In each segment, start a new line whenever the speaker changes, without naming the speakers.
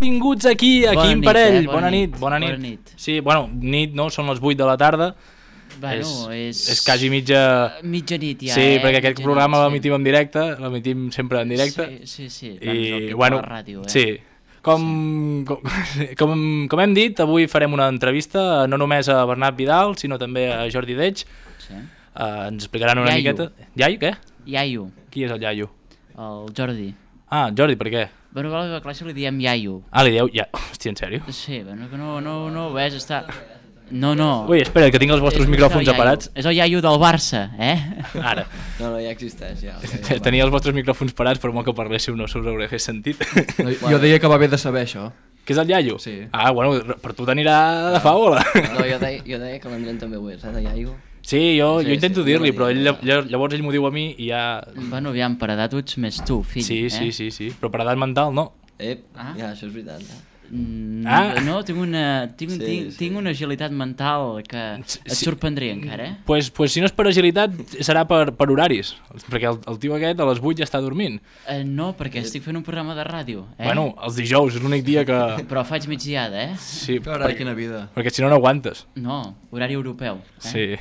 Benvinguts aquí en parell. Bona nit. Sí, bueno, nit no, són les 8 de la tarda.
Bueno,
és quasi mitjanit
ja,
sí, perquè aquest programa l'emitim en directe, l'emitim sempre en directe.
Sí.
I, bueno,
la ràdio,
sí. Com hem dit, avui farem una entrevista no només a Bernat Vidal, sinó també a Jordi Deix.
Sí.
Ens explicaran una miqueta... Iaio, què?
Iaio.
Qui és el Iaio?
El Jordi.
Ah, Jordi, per què?
Bueno, a la classe li diem Iaio.
Ah, li dieu... Hòstia, en sèrio?
Sí, bueno, que no, ves, està... No.
Ui, espera, que tinc els vostres micròfons aparats.
És el Iaio del Barça,
Ara.
No, ja existeix, ja.
Tenia els vostres micròfons parats, però molt que parléssiu no us hauré fet sentit.
Jo deia que va bé de saber això.
Què és el Iaio?
Sí.
Ah, bueno, per tu t'anirà de faola.
No, jo deia que l'Andreu també ho és, de Iaio.
Sí, jo intento dir-li, però llavors ell m'ho diu a mi i ja...
Bueno, aviam, per edat ets més tu, fill.
Sí, però per edat mental no.
Ja, això és veritat,
No, tinc una agilitat mental que et sorprendria encara,
Pues si no és per agilitat serà per horaris, perquè el tio aquest a les 8 ja està dormint.
No, perquè estic fent un programa de ràdio,
Bueno, els dijous és l'únic dia que...
Però faig migdiada,
Sí,
quina vida.
perquè si no aguantes.
No, horari europeu.
Sí.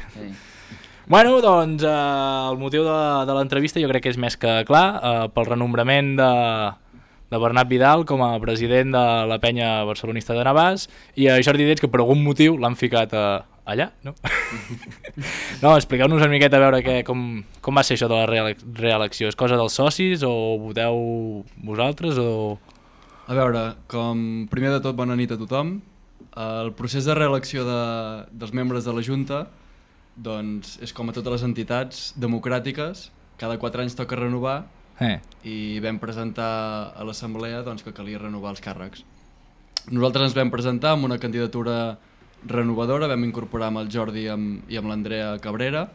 Bueno, doncs el motiu de l'entrevista jo crec que és més que clar, pel renombrament de Bernat Vidal com a president de la penya barcelonista de Navàs i a Jordi Deix, que per algun motiu l'han ficat allà, no? No, expliqueu-nos una miqueta a veure com va ser això de la reelecció. És cosa dels socis o voteu vosaltres o...
A veure, primer de tot, bona nit a tothom. El procés de reelecció dels membres de la Junta doncs, és com a totes les entitats democràtiques, cada 4 anys toca renovar i vam presentar a l'assemblea doncs, que calia renovar els càrrecs. Nosaltres ens vam presentar amb una candidatura renovadora, vam incorporar amb el Jordi i amb l'Andrea Cabrera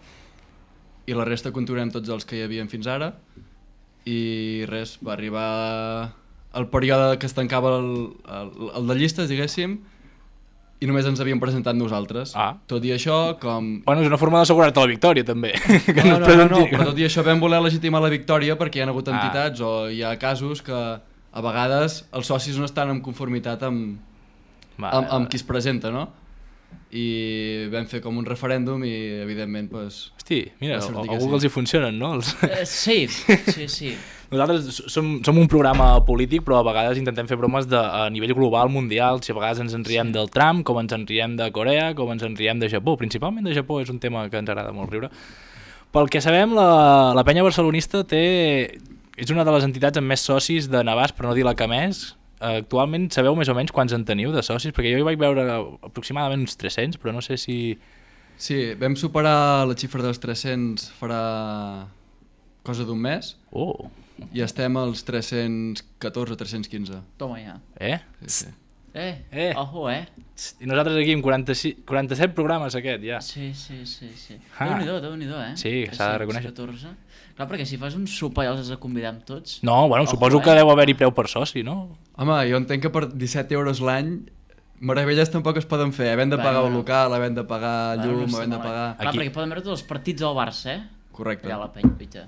i la resta continuem tots els que hi havien fins ara i res, va arribar el període que es tancava el de llistes, diguéssim, i només ens havíem presentat nosaltres. Tot i això,
Bueno, és una forma d'assegurar-te la victòria, també.
No, però tot i això vam voler legitimar la victòria perquè hi ha hagut entitats o hi ha casos que a vegades els socis no estan en conformitat amb qui es presenta, no? I vam fer com un referèndum i, evidentment, doncs...
Hosti, mira, a Google els hi funcionen, no?
Sí.
Nosaltres som un programa polític, però a vegades intentem fer bromes a nivell global, mundial. Si a vegades ens en riem del Trump, com ens en riem de Corea, com ens en riem de Japó. Principalment de Japó és un tema que ens agrada molt riure. Pel que sabem, la penya barcelonista és una de les entitats amb més socis de Navàs, per no dir la que més. Actualment sabeu més o menys quants en teniu de socis? Perquè jo hi vaig veure aproximadament uns 300, però no sé si...
Sí, vam superar la xifra dels 300 farà cosa d'un mes. I estem als 314 o 315.
Toma ja.
Sí.
Ojo,
I nosaltres aquí amb 47 programes aquest, ja.
Sí. Déu-n'hi-do,
Sí, s'ha de reconèixer.
14. Clar, perquè si fas un sopar i els has de convidar amb tots...
No, bueno, suposo que deu haver-hi preu per soci, no?
Home, jo entenc que per 17 euros l'any meravelles tampoc es poden fer. Havent de pagar el local, havent de pagar llum, havent de pagar...
Clar, perquè poden veure tots els partits del Barça,
Correcte.
Allà a la penya, pita.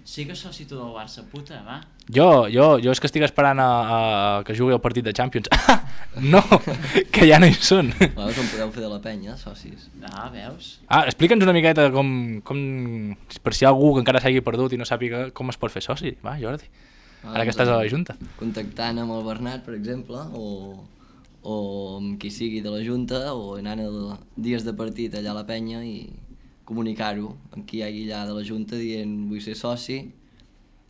Sigues soci tu del Barça, puta, va.
Jo és que estic esperant que jugui el partit de Champions. No, que ja no hi són.
Com podeu fer de la penya, socis.
Veus?
Explica'ns una miqueta com per si hi ha algú que encara s'hagi perdut i no sàpiga com es pot fer soci. Va, Jordi, ara que estàs a la Junta.
Contactant amb el Bernat, per exemple, o amb qui sigui de la Junta, o anant a dies de partit allà a la penya i comunicar-ho amb qui hi hagi allà de la Junta dient vull ser soci,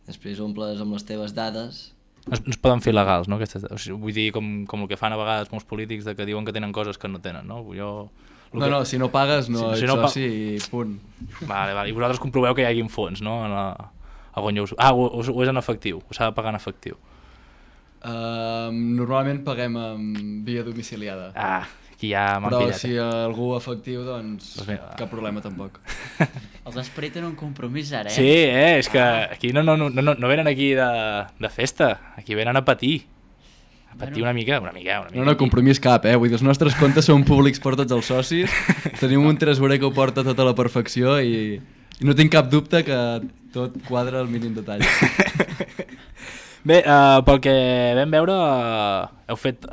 després omples amb les teves dades.
No es poden fer legals, no? Vull dir, com el que fan a vegades molts polítics que diuen que tenen coses que no tenen, no?
No, si no pagues no ets soci i punt.
Vale. I vosaltres comproveu que hi hagi fons, no? O és en efectiu, o s'ha de pagar en efectiu?
Normalment paguem via domiciliada.
Aquí ja m'han
pillat.
Però
si algú efectiu, doncs cap problema tampoc.
Els Esperi tenen un compromís ara,
Sí, és que aquí no venen aquí de festa, aquí venen a patir. A patir una mica.
No, compromís cap, Vull dir, els nostres comptes són públics per tots els socis, tenim un tresorer que ho porta tot a la perfecció i no tinc cap dubte que tot quadra al mínim detall.
Bé, pel que vam veure, heu fet,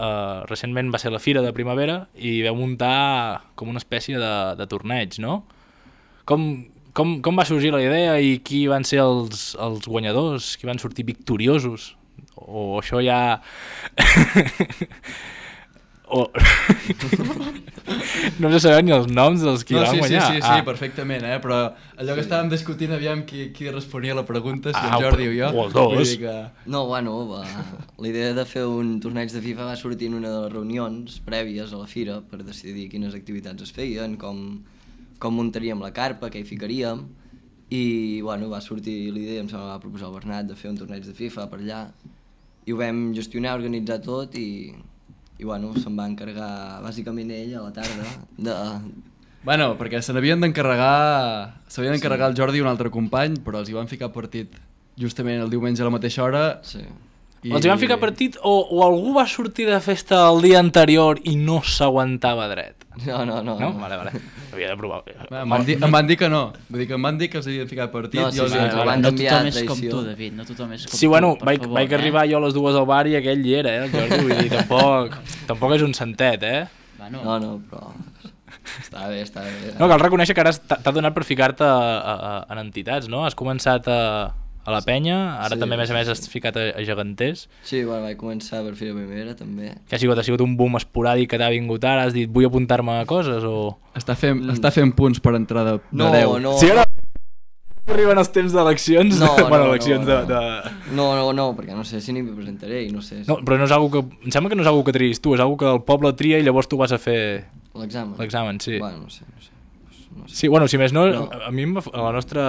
recentment va ser la Fira de Primavera i vau muntar com una espècie de torneig, no? Com va sorgir la idea i qui van ser els guanyadors, qui van sortir victoriosos? O això ja... No sé saber ni els noms dels qui van guanyar.
Sí, perfectament, però allò que estàvem discutint, aviam qui responia a la pregunta, si en Jordi o jo.
O els dos.
No, bueno, la idea de fer un torneig de FIFA va sortir en una de les reunions prèvies a la fira per decidir quines activitats es feien, com muntaríem la carpa, què hi ficaríem, i bueno, va sortir l'idea, em sembla que va proposar el Bernat de fer un torneig de FIFA per allà, i ho vam gestionar, organitzar tot, i bueno, se'n va encarregar bàsicament ell a la tarda de...
Bueno, perquè s'havien d'encarregar el Jordi i un altre company, però els hi van ficar partit justament el diumenge a la mateixa hora.
Sí.
Els hi van ficar partit o algú va sortir de festa el dia anterior i no s'aguantava dret?
No.
Vale. Havia de provar.
Em van dir que no. Vull dir que em van dir que els havien ficat partit.
No, sí,
no tothom és com tu, David. No tothom és com tu.
Sí, bueno, vaig arribar jo a les 2 al bar i aquell hi era, el Jordi. Vull dir, tampoc és un santet,
No, però... Està bé.
No, cal reconèixer que ara t'ha donat per ficar-te en entitats, no? Has començat a la penya, ara també a més has ficat a geganters.
Sí, bueno, vaig començar per Fira Primavera també.
Que ha sigut un boom esporàdic que t'ha vingut ara, has dit vull apuntar-me a coses o...
Està fent punts per entrar de 10.
No.
Sí, ara arriben els temps d'eleccions?
Eleccions de... No, perquè no sé si n'hi presentaré i no sé...
No, però no és algo que... Em sembla que no és algo que triïs tu, és algo que el poble tria i llavors tu vas a fer... L'examen, sí.
Bueno, no sé.
Sí, bueno, si més no, a mi a la nostra...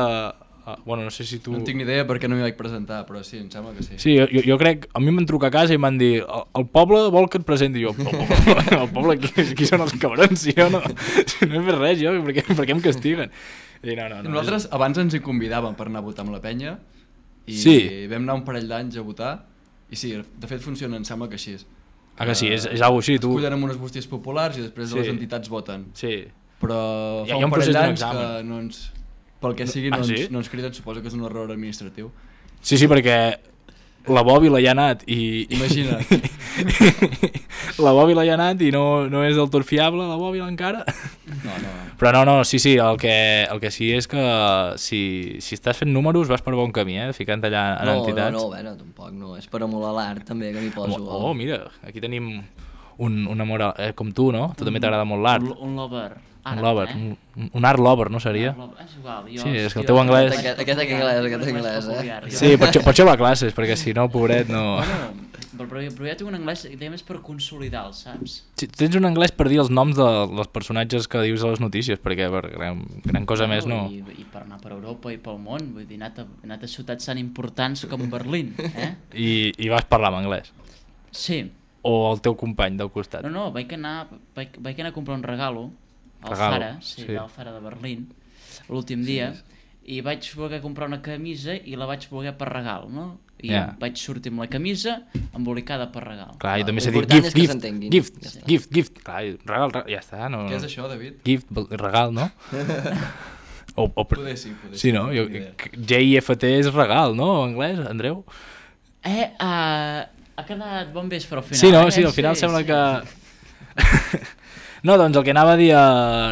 Bueno, no sé si tu...
No tinc ni idea perquè no m'hi vaig presentar, però sí, em sembla que sí.
Sí, jo crec... A mi em van trucar a casa i m'han dit el poble vol que et presenti. Jo, el poble, qui són els cabrons? Si no he fet res, jo, per què em castiguen? I no.
Nosaltres abans ens hi convidàvem per anar a votar amb la penya i vam anar un parell d'anys a votar i sí, de fet funciona, em sembla que així és.
Ah, que sí, és algo així, tu...
Escollen amb unes bústies populars i després les entitats voten.
Sí.
Però fa un parell d'anys que no ens... Pel que sigui no ens criden, suposo que és un error administratiu.
Sí, perquè la Bòbila hi ha anat i...
Imagina't.
La Bòbila hi ha anat i no és del tot fiable la Bòbila encara.
No.
Però no, sí, el que sí és que si estàs fent números vas per bon camí, ficant allà en entitats.
No, tampoc no, és per emular l'art també que m'hi poso.
Oh, mira, aquí tenim un amor com tu, no? Tu també t'agrada molt l'art.
Un lover.
Un lover, un art lover, no seria?
És igual,
sí, és que el teu anglès...
Aquest anglès,
Sí, potser va a classes, perquè si no, pobret, no...
Però jo tinc un anglès que més per consolidar, saps?
Sí, tens un anglès per dir els noms dels personatges que dius a les notícies, perquè per gran cosa més no...
I per anar per Europa i pel món, vull dir, he anat a ciutats tan importants com Berlín,
I vas parlar en anglès?
Sí.
O el teu company del costat?
No, vaig anar a comprar un regalo al Zara, al Zara de Berlín, l'últim dia, i vaig voler comprar una camisa i la vaig voler per regal, no? I vaig sortir amb la camisa embolicada per regal.
Clar, i també s'ha dit gift. Clar, regal, ja està. No.
Què és això, David?
Gift, regal, no?
Poder sí.
Sí, no? GIFT és regal, no? En anglès, Andreu?
Ha quedat bon vespre al final.
Sí, al final sembla que... No, doncs el que anava a dir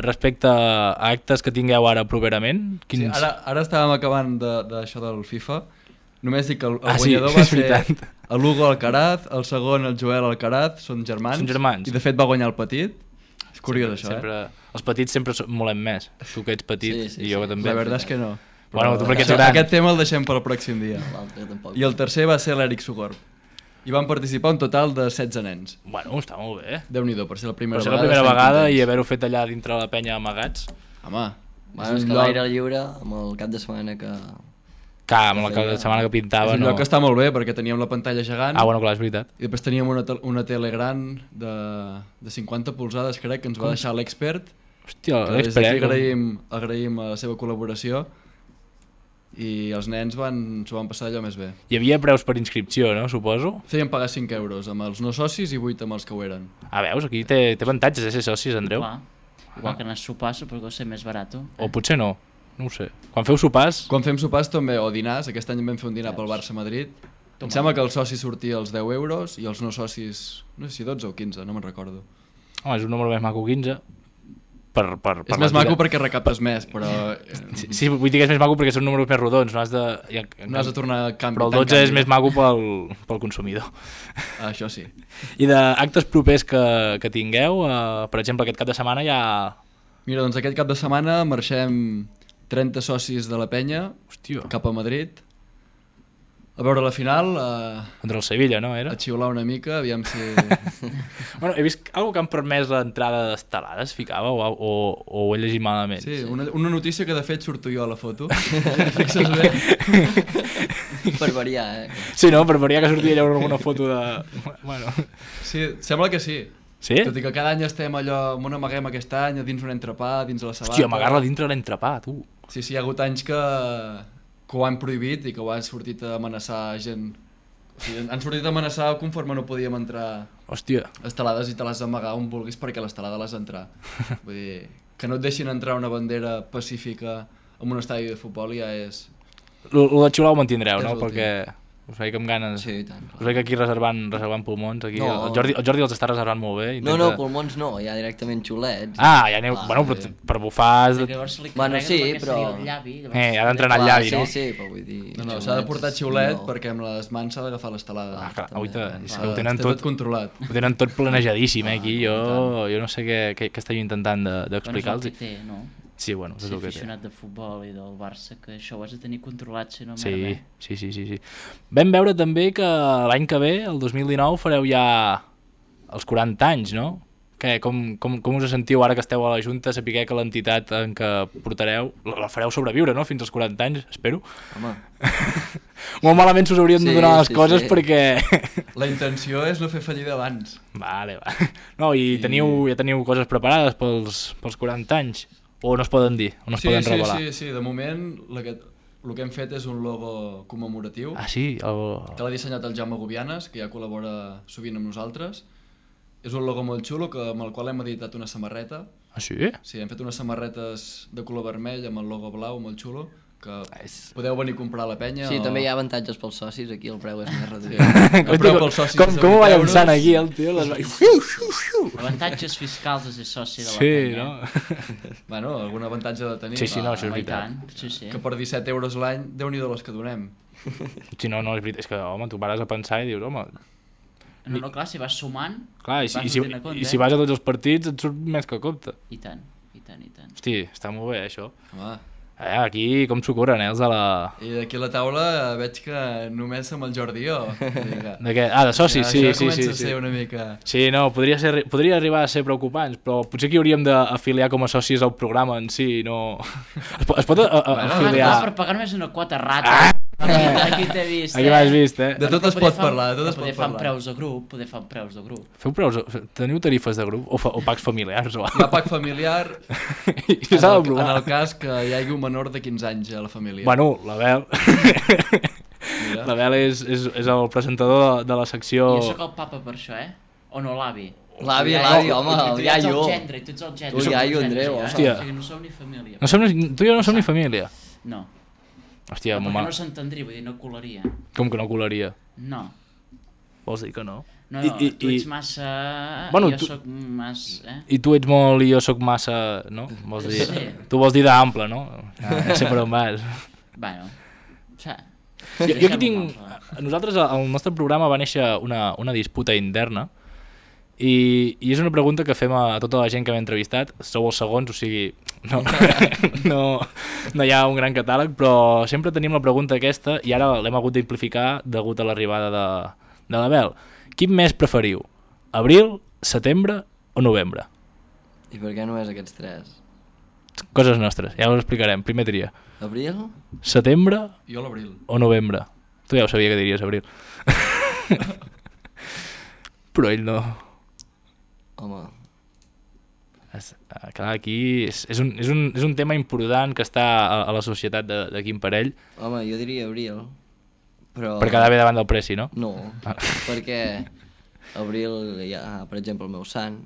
respecte a actes que tingueu ara properament...
Sí, ara estàvem acabant d'això del FIFA. Només dic que el guanyador va ser l'Hugo Alcaraz, el segon el Joel Alcaraz, són germans. I de fet va guanyar el petit. És curiós això,
Els petits sempre molem més. Tu que ets petit i jo també.
La veritat és que no.
Bueno, tu perquè ets gran.
Aquest tema el deixem per al pròxim dia. I el tercer va ser l'Eric Sugorb. I van participar un total de 16 nens.
Bueno, està molt bé.
Déu-n'hi-do, per ser la primera
vegada i haver-ho fet allà dintre la penya amagats.
Home,
és que l'aire lliure amb el cap de setmana que...
Amb el cap de setmana que pintava...
És un lloc que està molt bé perquè teníem la pantalla gegant.
Bueno, clar, és veritat.
I després teníem una tele gran de 50 polzades, crec, que ens va deixar l'expert.
Hòstia, l'expert.
Agraïm la seva col·laboració. I els nens s'ho van passar allò més bé.
Hi havia preus per inscripció, no? Suposo?
Feien pagar 5 euros amb els no socis i 8 amb els que ho eren.
Veus? Aquí té avantatges ser socis, Andreu.
Igual que anar a sopar, suposo que ser més barat.
O potser no ho sé. Quan feu sopars...
Quan fem sopars també, o dinars, aquest any vam fer un dinar pel Barça-Madrid. Em sembla que el soci sortia als 10 euros i els no socis, no sé si 12 o 15, no me'n recordo.
Home, és un número més maco, 15.
És més maco perquè recaptes més, però...
Sí, vull dir que és més maco perquè són números més rodons, no has de
tornar a canvi.
Però el 12 és més maco pel consumidor.
Això sí.
I d'actes propers que tingueu, per exemple, aquest cap de setmana ja...
Mira, doncs aquest cap de setmana marxem 30 socis de la penya.
Hòstia.
Cap a Madrid a veure la final,
contra el Sevilla, no? Era?
A xiular una mica, aviam si...
Bueno, he vist algo que han permès l'entrada d'estelades, ficava, o ho he llegit malament.
Sí, una notícia que de fet surto jo a la foto. Fixes bé.
Per variar,
Sí, no? Per variar que sortia allà alguna foto de... Bueno.
Sí, sembla que sí.
Sí?
Tot i que cada any estem allò, on amaguem aquest any, dins un entrepà, dins la sabata...
Hòstia, amagar-la dintre l'entrepà, tu.
Sí, hi ha hagut anys que ho han prohibit i que ho han sortit a amenaçar gent. O sigui, han sortit a amenaçar conforme no podíem entrar.
Hòstia.
Estelades i te l'has d'amagar on vulguis perquè l'estelada l'has d'entrar. Vull dir, que no et deixin entrar una bandera pacífica en un estadi de futbol ja és...
Lo de xiular ho mantindreu, no? Perquè us veig amb ganes.
Sí, tant. Clar.
Us veig aquí reservant pulmons. Aquí. No. El Jordi els està reservant molt bé.
No, pulmons no, ja directament xulets.
Ah, ja aneu... Bueno, però per bufar...
Bueno, sí, però...
Ha d'entrenar el llavi, no?
Sí, però vull dir...
No, s'ha de portar xiulet perquè amb les mans s'ha d'agafar l'estelada.
Ah, clar, ho
tenen tot controlat.
Ho tenen tot planejadíssim, aquí. Jo no sé què estic intentant d'explicar-los.
No?
Sí, bueno, és el que té.
Aficionat de futbol i del Barça, que això ho has de tenir controlat, si no
merda. Sí. Vam veure també que l'any que ve, el 2019, fareu ja els 40 anys, no? Com us sentiu ara que esteu a la Junta, sapiguer que l'entitat en què portareu la fareu sobreviure, no? Fins als 40 anys, espero.
Home.
Molt malament s'us haurien de donar les coses perquè...
La intenció és no fer fallida abans.
Vale. No, i ja teniu coses preparades pels 40 anys? O no es poden dir? O no es poden revelar?
Sí, de moment el que hem fet és un logo commemoratiu.
Ah, sí?
Que l'ha dissenyat el Jaume Gubianes, que ja col·labora sovint amb nosaltres. És un logo molt xulo amb el qual hem editat una samarreta.
Ah, sí?
Sí, hem fet unes samarretes de color vermell amb el logo blau, molt xulo, que podeu venir a comprar a la penya.
Sí, també hi ha avantatges pels socis, aquí el preu és més reduït.
El preu pels socis
com ho va llançant aquí el tio?
Avantatges fiscals de ser soci de la
Sí,
penya.
no?
Bueno, algun avantatge de tenir.
Sí, no, això és veritat.
Sí.
Que per 17 euros l'any, Déu-n'hi-do les que donem.
Sí, no, és veritat. És que, home, tu pares a pensar i dius, home...
No, clar, si vas sumant...
Clar, i si vas a tots els partits et surt més que compte.
I tant.
Hosti, està molt bé, això.
Home.
Aquí com s'ho corren, els de la...
I d'aquí a la taula veig que només som el Jordi i jo.
De què? Ah, de socis, sí.
Això comença a ser una mica...
Sí, no, podria arribar a ser preocupants, però potser que hauríem d'afiliar com a socis al programa en si, no... Es pot afiliar...
Per pagar només una quota rata. Aquí t'he vist,
Aquí m'has vist,
De tot es pot parlar, de tot es pot
parlar. Poder fan preus de grup.
Feu preus? Teniu tarifes de grup? O pacs familiars?
Hi ha pac familiar en el cas que hi hagi un menor de 15 anys a la família.
Bueno, l'Abel... L'Abel és el presentador de la secció...
Jo sóc el papa per això, O no, l'avi?
L'avi, home, el iaio.
Tu ets el gendre.
Tu iaio, Andreu.
Hòstia.
O sigui, no som ni família.
Tu i jo no som ni família?
No.
Hòstia,
perquè no s'entendria, vull dir, no colaria.
Com que no colaria?
No.
Vols dir que no?
No, tu ets massa...
Bueno,
jo soc massa...
I tu ets molt i jo soc massa... No? Vols dir...
Sí.
Tu vols dir d'ample, no? Ja sé per on vas.
Bueno,
jo aquí tinc... Nosaltres, al nostre programa va néixer una disputa interna i és una pregunta que fem a tota la gent que hem entrevistat. Sou els segons, o sigui... No hi ha un gran catàleg, però sempre tenim la pregunta aquesta i ara l'hem hagut d'amplificar degut a l'arribada de l'Abel. Quin mes preferiu? Abril, setembre o novembre?
I per què no és aquests tres?
Coses nostres, ja ho explicarem. Primer tria.
Abril?
Setembre?
Jo l'abril.
O novembre? Tu ja ho sabia que diries abril. Però ell no.
Home...
Clar, aquí és un tema important que està a la societat de quin parell.
Home, jo diria abril, però...
Per quedar bé davant del preci, no?
No, perquè abril hi ha, per exemple, el meu sant,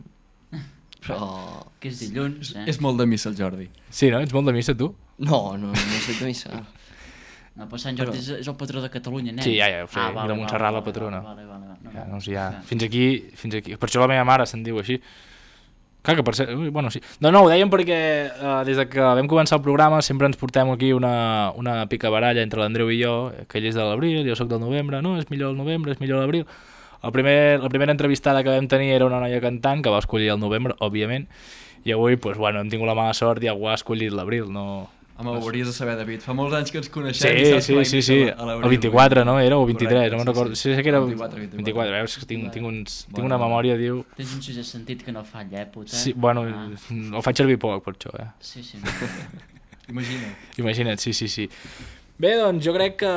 però...
Que és dilluns,
És molt de missa el Jordi.
Sí, no? Ets molt de missa, tu?
No soc de missa.
No, però Sant Jordi és el patró de Catalunya, nen.
Sí, ja ho sé, i de Montserrat la patrona. Ja, doncs ja, fins aquí. Per això la meva mare se'n diu així. Clar que per ser... Bueno, sí. No, ho dèiem perquè des que vam començar el programa sempre ens portem aquí una picabaralla entre l'Andreu i jo, que ell és de l'abril, jo sóc del novembre, no, és millor el novembre, és millor l'abril. La primera entrevistada que vam tenir era una noia cantant que va escollir el novembre, òbviament, i avui, doncs, bueno, hem tingut la mala sort i algú ha escollit l'abril, no...
Home, ho hauries de saber, David. Fa molts anys que ens coneixem i saps que
sí. El 24, no? Era o 23,
correcte,
no me'n recordo. Sí, que era
24.
Veus que tinc una memòria, diu...
Tens un sisè sentit que no falla, puta.
Sí, bueno, el faig servir poc per això,
Sí.
Imagina't, sí. Bé, doncs jo crec que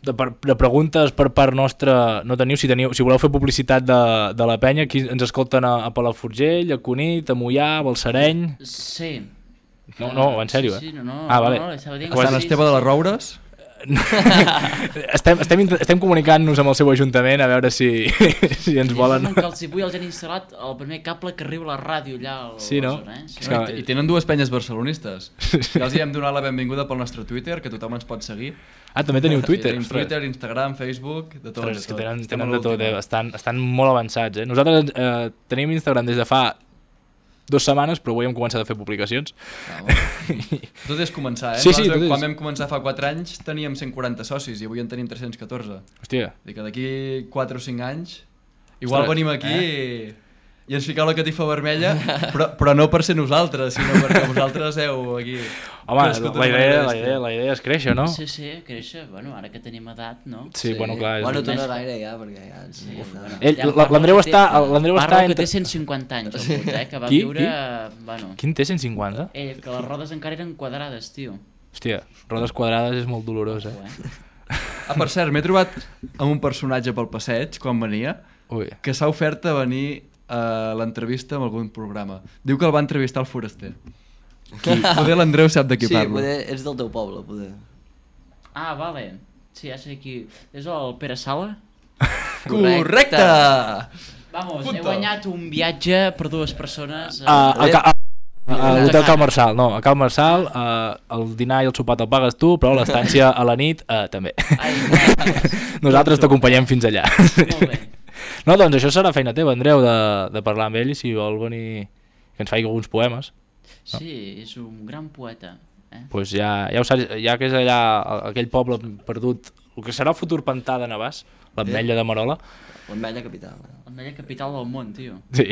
de preguntes per part nostra no teniu. Si voleu fer publicitat de la penya, aquí ens escolten a Palafrugell, a Cunit, a Moià, a Balsareny...
Sí.
No, en sèrio,
Sí, no.
Vale.
A Sant Esteve de les Roures?
estem comunicant-nos amb el seu ajuntament a veure si ens volen...
Que els vull els han instal·lat el primer cable que arriba a la ràdio allà al
no?
I tenen dues penyes barcelonistes. Ja els hi hem donat la benvinguda pel nostre Twitter, que tothom ens pot seguir.
També teniu Twitter?
Tenim Twitter, Instagram, Facebook, de tot.
És que tenen de tot, estan molt avançats. Nosaltres tenim Instagram des de fa 2 setmanes, però avui hem començat a fer publicacions.
Tot és començar,
Sí,
quan vam començar fa 4 anys teníem 140 socis i avui en tenim 314.
Hòstia.
I que d'aquí 4 o 5 anys igual venim aquí i ens fiqueu la catifa vermella, però no per ser nosaltres, sinó perquè vosaltres heu aquí...
Home, la idea és créixer, no?
Sí, créixer. Bueno, ara que tenim edat, no?
Sí, bueno, clar.
Bueno, tu no gaire ja, perquè ja...
L'Andreu està...
Parla que té 150 anys, el puta, que va viure...
Quin té 150?
Ell, que les rodes encara eren quadrades, tio.
Hòstia, rodes quadrades és molt dolorós,
Per cert, m'he trobat amb un personatge pel passeig, quan venia, que s'ha ofert a venir a l'entrevista en algun programa. Diu que el va entrevistar el Foraster. Poder l'Andreu sap de qui parlo.
Sí, poder és del teu poble, poder.
Ah, vale. Sí, ja sé qui... És el Pere Sala?
Correcte!
Vamos, he guanyat un viatge per 2 persones...
A l'hotel Cal Marçal, no, a Cal Marçal el dinar i el sopar te'l pagues tu, però l'estància a la nit també. Nosaltres t'acompanyem fins allà.
Molt bé.
No, doncs això serà feina teva, Andreu, de parlar amb ell i si vol venir que ens faci alguns poemes.
Sí, és un gran poeta.
Pues ja ho saps, ja que és allà aquell poble perdut, el que serà el futur pantà de Navàs, l'Ametlla de Merola.
L'Ametlla capital.
L'Ametlla capital del món, tio.
Sí.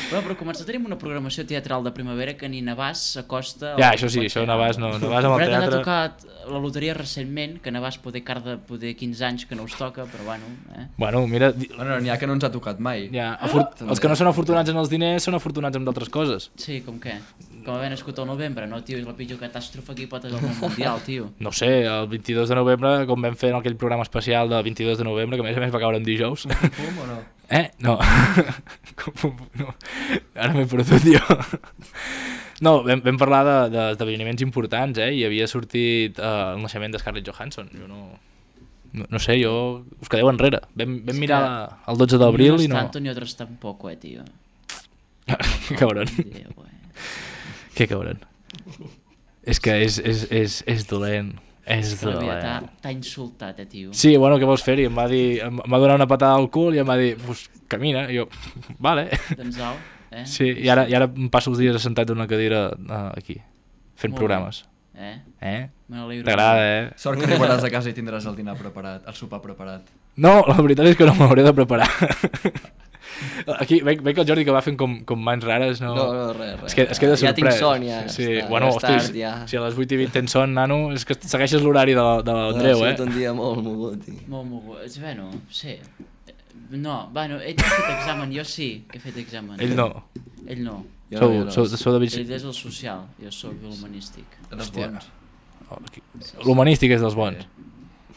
Però començar tenim una programació teatral de primavera que ni Navàs s'acosta...
Ja, això sí, això Navàs no. Navàs amb el teatre...
Però ha tocat la loteria recentment, que Navàs poder 15 anys que no us toca, però bueno...
Bueno, mira...
N'hi ha que no ens ha tocat mai.
Els que no són afortunats en els diners són afortunats en d'altres coses.
Sí, com què? Com haver nascut al novembre, no, tio? És la pitjor catàstrofe que hi pot haver al món mundial, tio.
No sé, el 22 de novembre, com vam fer en aquell programa especial del 22 de novembre, que a més va caure en dijous...
Fum o no?
No. Ara m'he perdut jo. No, vam parlar d'esdeveniments importants, i havia sortit el naixement de Scarlett Johansson. Jo no sé, us quedeu enrere. Vam mirar el 12 d'abril i no...
Tanto ni otros tampoco, tío.
Que cabrón. Que cabrón. És que és dolent.
T'ha insultat, tio.
Sí, bueno, què vols fer-hi? Em va donar una patada al cul i em va dir, pues, camina. I jo, vale.
Doncs au,
Sí, i ara em passo els dies assentat en una cadira aquí, fent programes. T'agrada,
Sort que arribaràs a casa i tindràs el dinar preparat, el sopar preparat.
No, la veritat és que no m'hauré de preparar. Aquí veig que el Jordi que va fent com mans rares, no?
No, res.
Es queda sorprès.
Ja tinc son, ja.
Sí, bueno, hosti, si a les 8 i 20 tens son, nano, és que segueixes l'horari de l'Andreu,
Ha sigut un dia molt mogut.
Molt mogut. Bueno, sí. No, bueno, ell ha fet examen, jo sí que he fet examen.
Ell no.
Ell no.
Sou de
Ell és el social, jo soc l'humanístic.
Dels bons.
L'humanístic és dels bons.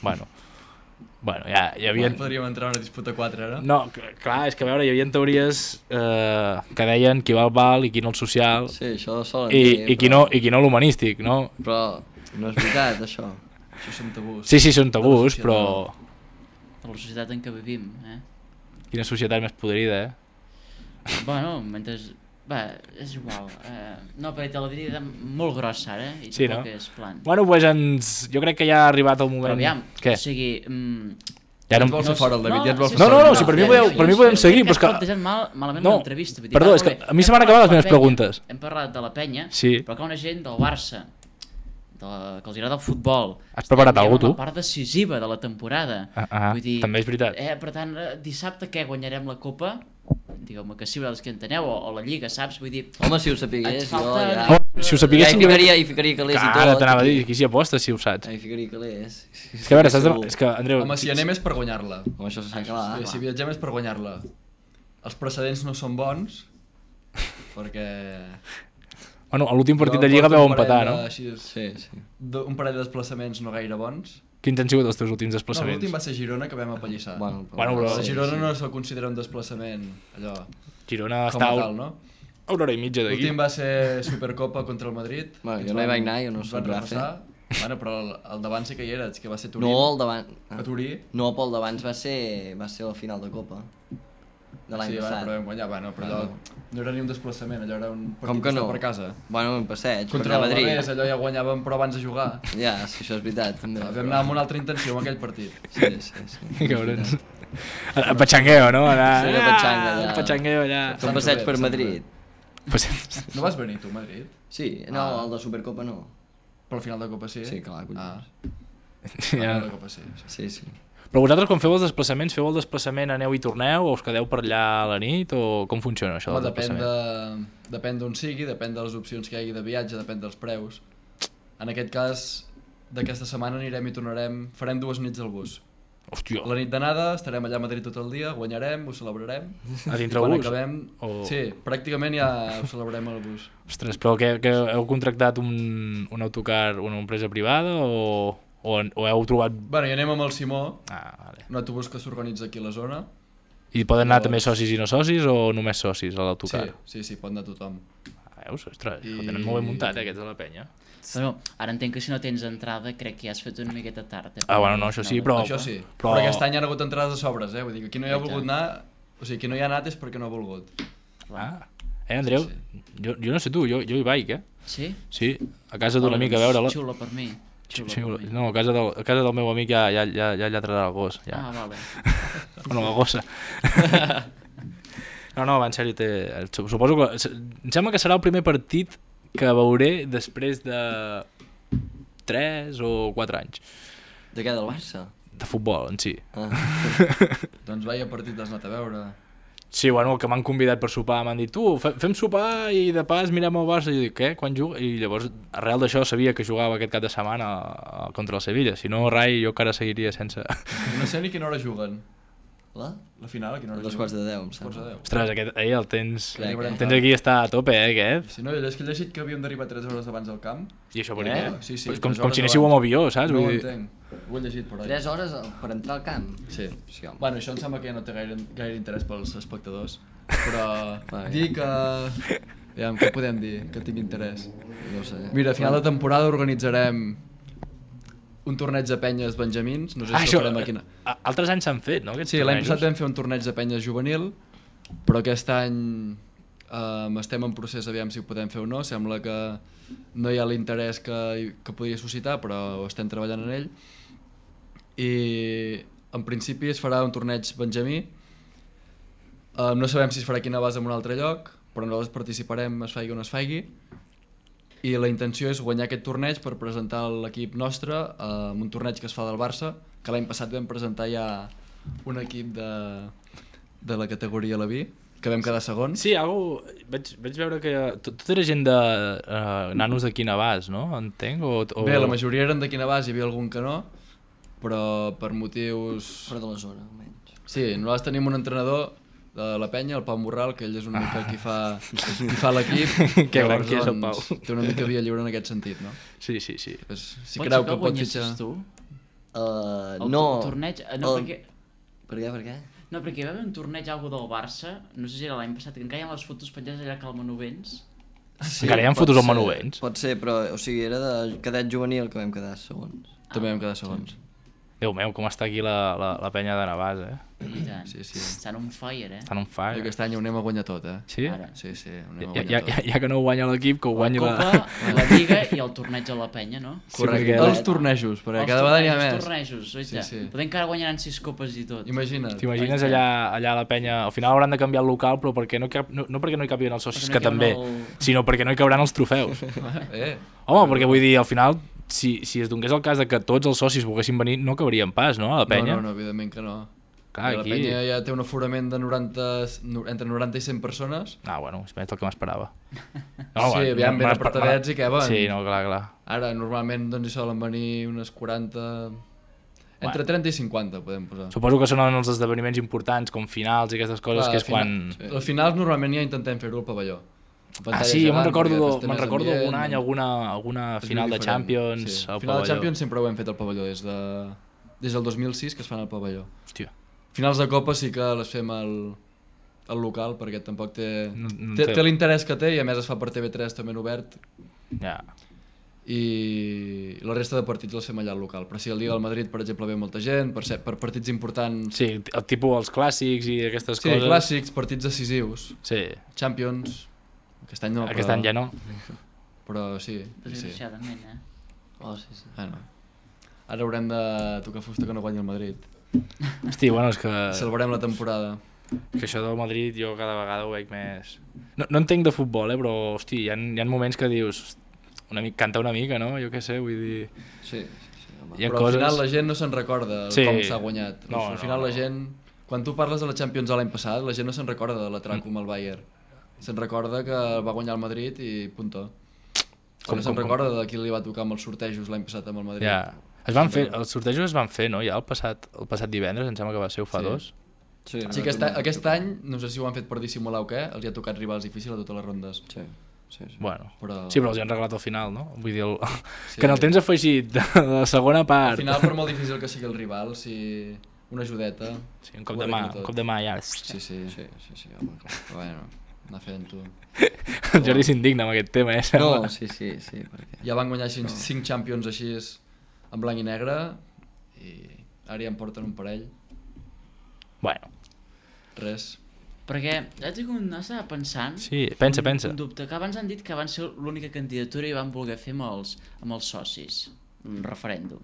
Bueno, ja hi havia...
Podríem entrar en una disputa 4, ara?
No, clar, és que a veure, hi havia teories que deien qui va al val i qui no el social.
Sí, això solen dir.
I qui no l'humanístic, no?
Però no és veritat, això.
Això són tabús.
Sí, són tabús, però...
Per la societat en què vivim,
Quina societat més podrida,
Bueno, mentre Va, és igual. No, perquè te la diria molt grossa ara, i
Sí,
tampoc
no?
és plan.
Bueno, doncs jo crec que ja ha arribat el moment...
Però aviam,
Què?
o sigui...
Ja
Ja
no...
et vol fer fora el David, ja et vol fer
No,
fora.
no, si per mi podem seguir, però és que...
Has plantejat malament
No,
l'entrevista. Vull dir,
perdó,
va,
és que
molt bé.
a mi se m'han
Hem
acabat les
parlat de
meves
la penya,
preguntes.
Hem parlat de la penya,
Sí.
però que una gent del Barça, que els agrada el futbol...
Has preparat
estem
alguna cosa,
ja
tu?
en la part decisiva de la temporada. Vull dir,
també és veritat.
Per tant, dissabte què, guanyarem la Copa? Digueu-me que sí, vosaltres que enteneu, o la Lliga, saps? Vull dir...
Home, si ho sapigués,
Et
jo
falten-
ja...
Oh, si ho sapiguéssim...
Ja hi ficaria calés i tot.
Ara t'anava a dir, aquí s'hi aposta, si ho saps.
Ja hi ficaria calés.
És que a veure, saps... És que, Andreu...
Home, si anem és per guanyar-la.
Home, això s'ha clar.
Si viatgem és per guanyar-la. Els precedents no són bons, perquè...
Bueno, a l'últim partit
Jo
de Lliga
porto
vau
un parell
empatar, no?
així,
Sí, sí.
un parell de desplaçaments no gaire bons.
Quins han sigut els teus últims
No,
desplaçaments?
l'últim va ser Girona, que vam apallissar.
Bueno, però-
A Girona no se'l considera un desplaçament, allò,
Girona
com
està
a tal, no?
a una hora i mitja d'aquí.
L'últim va ser Supercopa contra el Madrid.
Bueno,
que
jo
ens
no hi
van-
vaig anar, jo no
ens
soc
van
gafe.
repassar. Bueno, però el davant sí que hi eres, que va ser Turí.
No, el davant...
A Turí.
No, pel d'abans va ser la final de Copa. De l'any
Sí,
passat.
però vam guanyar, bueno, però allò no era ni un desplaçament, allò era un
Com
partit
que no?
per casa.
Bueno, un passeig,
Contra
per anar a Madrid.
l'Alavés, allò ja guanyàvem però abans de jugar.
Ja, sí, això és veritat, també.
Vam anar amb una altra intenció en aquell partit.
Sí, sí, sí.
Cabrons. A Pachangueo, no? Anar...
Sí, a Pachanga, allà.
Pachangueo, allà.
Fer un passeig per Madrid.
Pues...
No vas venir tu a Madrid?
Sí, no, el de Supercopa no.
Però al final de Copa sí?
Sí, clar, collons.
Ah, al
Ja.
final de Copa sí.
Sí, sí.
Però vosaltres quan feu els desplaçaments, feu el desplaçament, aneu i torneu o us quedeu per allà a la nit o com funciona això
Home,
del desplaçament?
depèn d'on sigui, depèn de les opcions que hi hagi de viatge, depèn dels preus. En aquest cas, d'aquesta setmana anirem i tornarem, farem 2 nits al bus.
Hòstia,
La nit d'anada estarem allà a Madrid tot el dia, guanyarem, ho celebrarem.
a dintre
I quan
bus?
acabem,
O-
sí, pràcticament ja ho celebrarem al bus.
Ostres, però que heu contractat un autocar, una empresa privada o heu trobat...
Bueno, i anem amb el Simó,
Ah, vale.
un autobús que s'organitza aquí a la zona.
I poden anar
Llavors-
també socis i no socis o només socis a
Sí,
l'autocar?
sí, pot anar tothom.
Veus? Ostres,
I-
ho tenen molt ben muntat, aquests de la penya.
Bueno, ara entenc que si no tens entrada crec que ja has fet una miqueta tard.
Ah, bueno, no, això sí, però...
Això sí,
però-
però aquest any hi ha hagut entrades a sobres, vull dir que qui no hi ha
Ja.
volgut anar, o sigui, qui no hi ha anat és perquè no ha volgut.
Ah. Andreu, jo no sé tu, jo hi vaig,
Sí?
Sí, a casa d'un amic a veure-la.
Xulo per mi. Xulo
Sí,
per mi.
no, a casa del meu amic ja llatrarà el gos. Ja.
Ah, vale.
Bueno, la gossa. No, va, en sèrio, suposo que... Em sembla que serà el primer partit que veuré després de 3 o 4 anys
De què, del Barça?
de futbol en si.
Ah.
Doncs vaya partit has anat a veure.
Sí, bueno, que m'han convidat per sopar, m'han dit, tu, fem sopar i de pas mirem el Barça. I jo dic, què? Quan juga? I llavors, arrel d'això, sabia que jugava aquest cap de setmana contra el Sevilla. Si no, rai, jo encara seguiria sense...
No sé ni quina hora juguen.
La
final, a quina hora
Dos
juguen?
quarts de 10, em
Quarts de
sembla.
10.
Ostres, el tens...
Crec,
eh?
El tens aquí, està a tope, aquest.
Si no, és que he llegit que havíem d'arribar 3 hores abans al camp.
I això per
Eh?
què?
Sí, sí,
Pues
3
com
hores
si anéssiu amb
abans.
avió, saps?
No ho
Vull dir...
entenc. Ho he llegit per ahí.
3 hores per entrar al camp?
Sí.
Sí, home.
Bueno, això em sembla que ja no té gaire interès pels espectadors, però
Va, ja.
dir que... Aviam, què podem dir que tingui interès?
No ho sé.
Mira, a final de temporada organitzarem un torneig de penyes benjamins, no sé si
això,
ho farem aquí.
altres anys s'han fet, no? Aquests
Sí, l'any
tornejos?
passat vam fer un torneig de penyes juvenil, però aquest any estem en procés, aviam si ho podem fer o no, sembla que no hi ha l'interès que podria suscitar, però estem treballant en ell. I en principi es farà un torneig benjamí, no sabem si es farà aquí a base en un altre lloc, però nosaltres participarem, es faigui o no es faigui, i la intenció és guanyar aquest torneig per presentar l'equip nostre en un torneig que es fa del Barça, que l'any passat vam presentar ja un equip de la categoria Leví, que vam quedar segons.
Sí, vaig veure que tot era gent de nanos de Quinabàs, no? Entenc?
Bé, la majoria eren de Quinabàs, hi havia algun que no, però per motius...
Fora de la zona, almenys.
Sí, nosaltres tenim un entrenador de la penya, el Pau Morral, que ell és una mica qui fa l'equip.
Que gran
Llavors,
que és el
doncs,
Pau.
té una mica via lliure en aquest sentit, no?
Sí.
Pues, si
Pots
creu
ser
que pot
guanyessis
fitxar...
tu?
No.
El torneig... No, perquè...
Per què?
No, perquè hi va haver un torneig algo del Barça, no sé si era l'any passat, que encara hi ha les fotos penjades allà a Cal Manovens.
Encara hi ha
pot
fotos al
ser,
Manovens?
Pot ser, però o sigui, era de cadet juvenil que vam quedar segons.
També vam quedar segons.
Déu meu, com està aquí la penya de Navàs,
I tant.
Sí.
Estan on fire,
Estan on fire.
I aquest any ho anem a guanyar tot,
Sí?
Ara.
Sí, ho anem a guanyar tot.
Ja que no ho guanya l'equip, que ho guanyi
La Copa, la Lliga i el torneig a la penya, no?
Correcte,
perquè-
els tornejos, perquè cada vegada n'hi ha més.
Els tornejos, oita.
Sí.
Podem que ara guanyaran 6 copes i tot.
Imagina't.
T'imagines allà a la penya, al final hauran de canviar el local, però perquè no perquè no hi capien els socis,
Perquè no
que
hi
també,
caben
sinó perquè no hi cabran els trofeus. Home, perquè vull dir, al final, si es donés el cas de que tots els socis volguessin venir, no cabrien pas, no, a la penya?
No, evidentment que no.
Clar,
La
aquí...
penya ja té un aforament de entre 90 i 100 persones.
Ah, bueno, és més del que m'esperava.
Sí, aviam, ben apartadets i què van.
Sí, no, clar.
Ara, normalment, doncs, hi solen venir unes 40... Entre 30 i 50, podem posar.
Suposo que són els esdeveniments importants, com finals i aquestes coses, que és quan...
Els finals normalment ja intentem fer-ho al pavelló.
Ah, sí, jo me'n recordo algun any, alguna final de Champions al pavelló.
Final de Champions sempre ho hem fet al pavelló, des del 2006 que es fan al pavelló.
Hòstia.
Finals de Copa sí que les fem al local, perquè tampoc té
té
l'interès que té, i a més es fa per TV3 també en obert.
Ja.
I la resta de partits els fem allà al local. Però sí, el dia del Madrid, per exemple, ve molta gent, per partits importants...
Sí, el tipus els clàssics i aquestes coses.
Sí, clàssics, partits decisius.
Sí.
Champions... Aquest any no,
Aquest any ja no.
Però sí.
Desgraciadament,
Sí.
Bueno, ara haurem de tocar fusta que no guanyi el Madrid.
Hosti, bueno, és que...
Celebrem la temporada.
Que això del Madrid jo cada vegada ho veig més... No entenc de futbol, però, hosti, hi ha moments que dius... Canta una mica, no? Jo què sé, vull dir...
Sí.
Però al final la gent no se'n recorda com s'ha guanyat. Al final la gent... Quan tu parles de la Champions l'any passat, la gent no se'n recorda de l'atraco amb el Bayern. Se'n recorda que va guanyar el Madrid i punto. No se'n recorda de qui li va tocar amb els sortejos l'any passat amb el Madrid.
Ja. Els sortejos es van fer, no? Ja el passat divendres, em sembla que va ser, o fa 2.
Sí, aquest any, no sé si ho han fet per dissimular o què, els hi ha tocat rivals difícils a totes les rondes.
Sí.
Bueno,
però
els hi han regalat al final, no? Vull dir, que en el temps afegit de la segona part...
Al final, per molt difícil que sigui el rival, si una ajudeta...
Sí, un cop de mà ja...
Sí, home, clar.
Bueno, anar fent-ho.
El Jordi s'indigna amb aquest tema,
No, sí, perquè...
Ja van guanyar 5 Champions així en blanc i negre i ara ja en porten un parell.
Bueno.
Res.
Perquè estava pensant...
Sí, pensa.
Un dubte, que abans han dit que van ser l'única candidatura i van voler fer amb els socis un referèndum.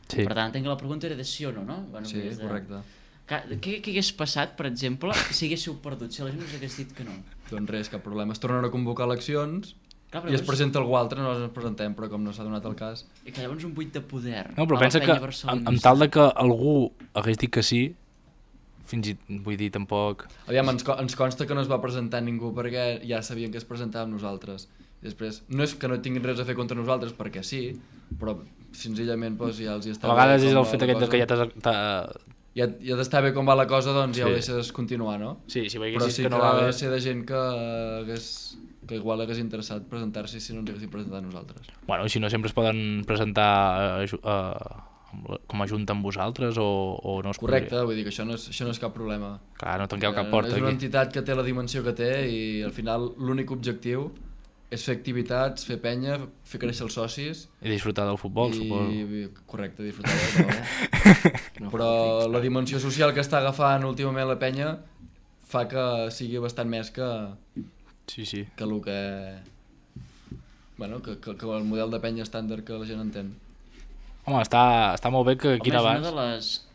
Sí.
Per tant, entenc que la pregunta era de sí o no, no? Bueno,
sí, correcte.
Què hagués passat, per exemple, si haguéssiu perdut, si la gent us hagués dit que no?
Doncs res, cap problema. Es tornen a convocar eleccions.
Clar,
i es presenta algú altre, nosaltres ens presentem, però com no s'ha donat el cas...
I que llavors un buit de poder.
No, però pensa que amb tal de que algú hagués dit que sí, vull dir, tampoc...
Aviam, ens consta que no es va presentar ningú perquè ja sabien que es presentava amb nosaltres. I després, no és que no tinguin res a fer contra nosaltres, perquè sí, però senzillament doncs, ja els hi està...
A vegades és el fet aquest que ja t'has...
Ja d'estar bé com va la cosa, doncs ja ho deixes continuar, no?
Sí, si
però sí
que no va bé...
ser de gent que igual hagués interessat presentar-se si no ens haguessin presentat nosaltres.
Bueno, si no sempre es poden presentar com a junta amb vosaltres o no es
Correcte, vull dir que això no és cap problema.
Clar, no tanqueu cap porta
aquí. És una
aquí.
entitat que té la dimensió que té i al final l'únic objectiu és fer activitats, fer penya, fer créixer els socis...
I disfrutar del futbol, suposo.
Correcte, disfrutar del futbol. Però la dimensió social que està agafant últimament la penya fa que sigui bastant més que...
Sí.
Que el que... Bueno, que el model de penya estàndard que la gent entén.
Home, està molt bé que aquí
Navàs...
Home,
és una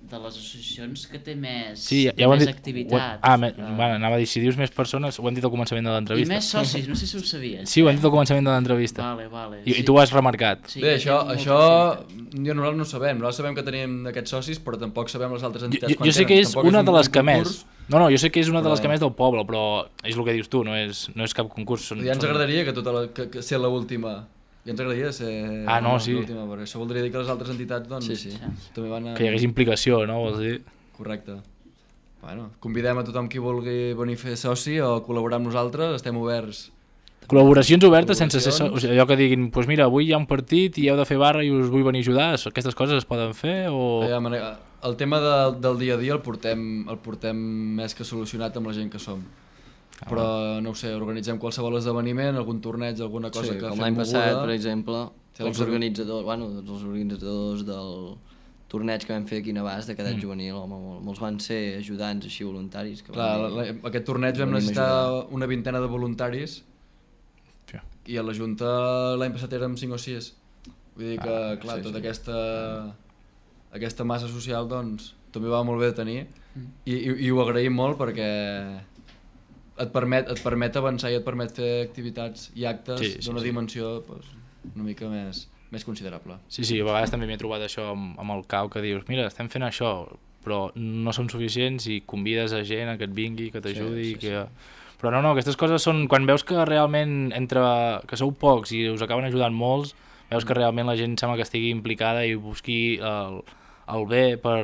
de les associacions que té més,
més
activitat.
Anava a dir, si dius més persones, ho hem dit al començament de l'entrevista.
I més socis, no sé si ho sabies.
Sí, ho hem dit al començament de l'entrevista.
Vale.
I tu ho has remarcat.
Sí,
bé, això nosaltres no ho sabem. Nosaltres sabem que tenim aquests socis, però tampoc sabem les altres entitats.
Jo sé que és una de les que més... No, jo sé que és una de les que més del poble, però és el que dius tu, no és cap concurs.
Ja ens agradaria que ser l'última... Ja ens agradaria ser l'última, perquè això voldria dir que les altres entitats doncs, també van a...
Que hi hagués implicació, no? Vols dir?
Correcte. Bueno, convidem a tothom qui vulgui venir a fer soci o col·laborar amb nosaltres, estem oberts.
Col·laboracions obertes sense ser... allò que diguin, doncs mira, avui hi ha un partit i heu de fer barra i us vull venir a ajudar, aquestes coses es poden fer o...
El tema del dia a dia el portem més que solucionat amb la gent que som. Però no ho sé, organitzem qualsevol esdeveniment, algun torneig, alguna cosa que fem
com l'any
moguda.
passat, per exemple, els organitzadors del torneig que vam fer aquí a Navàs de cadet juvenil, home, molts van ser ajudants així voluntaris. Que
Clar, aquest torneig vam necessitar una vintena de voluntaris i a la Junta l'any passat érem 5 o 6. Vull dir que, clar, tota aquesta massa social doncs també va molt bé de tenir i ho agraïm molt perquè et permet avançar i et permet fer activitats i actes d'una dimensió pues, una mica més considerable.
Sí, a vegades també m'he trobat això amb el CAU, que dius, mira, estem fent això, però no som suficients i convides a gent a que et vingui, que t'ajudi, que... Però no, aquestes coses són... Quan veus que realment que sou pocs i us acaben ajudant molts, veus que realment la gent sembla que estigui implicada i busqui el bé per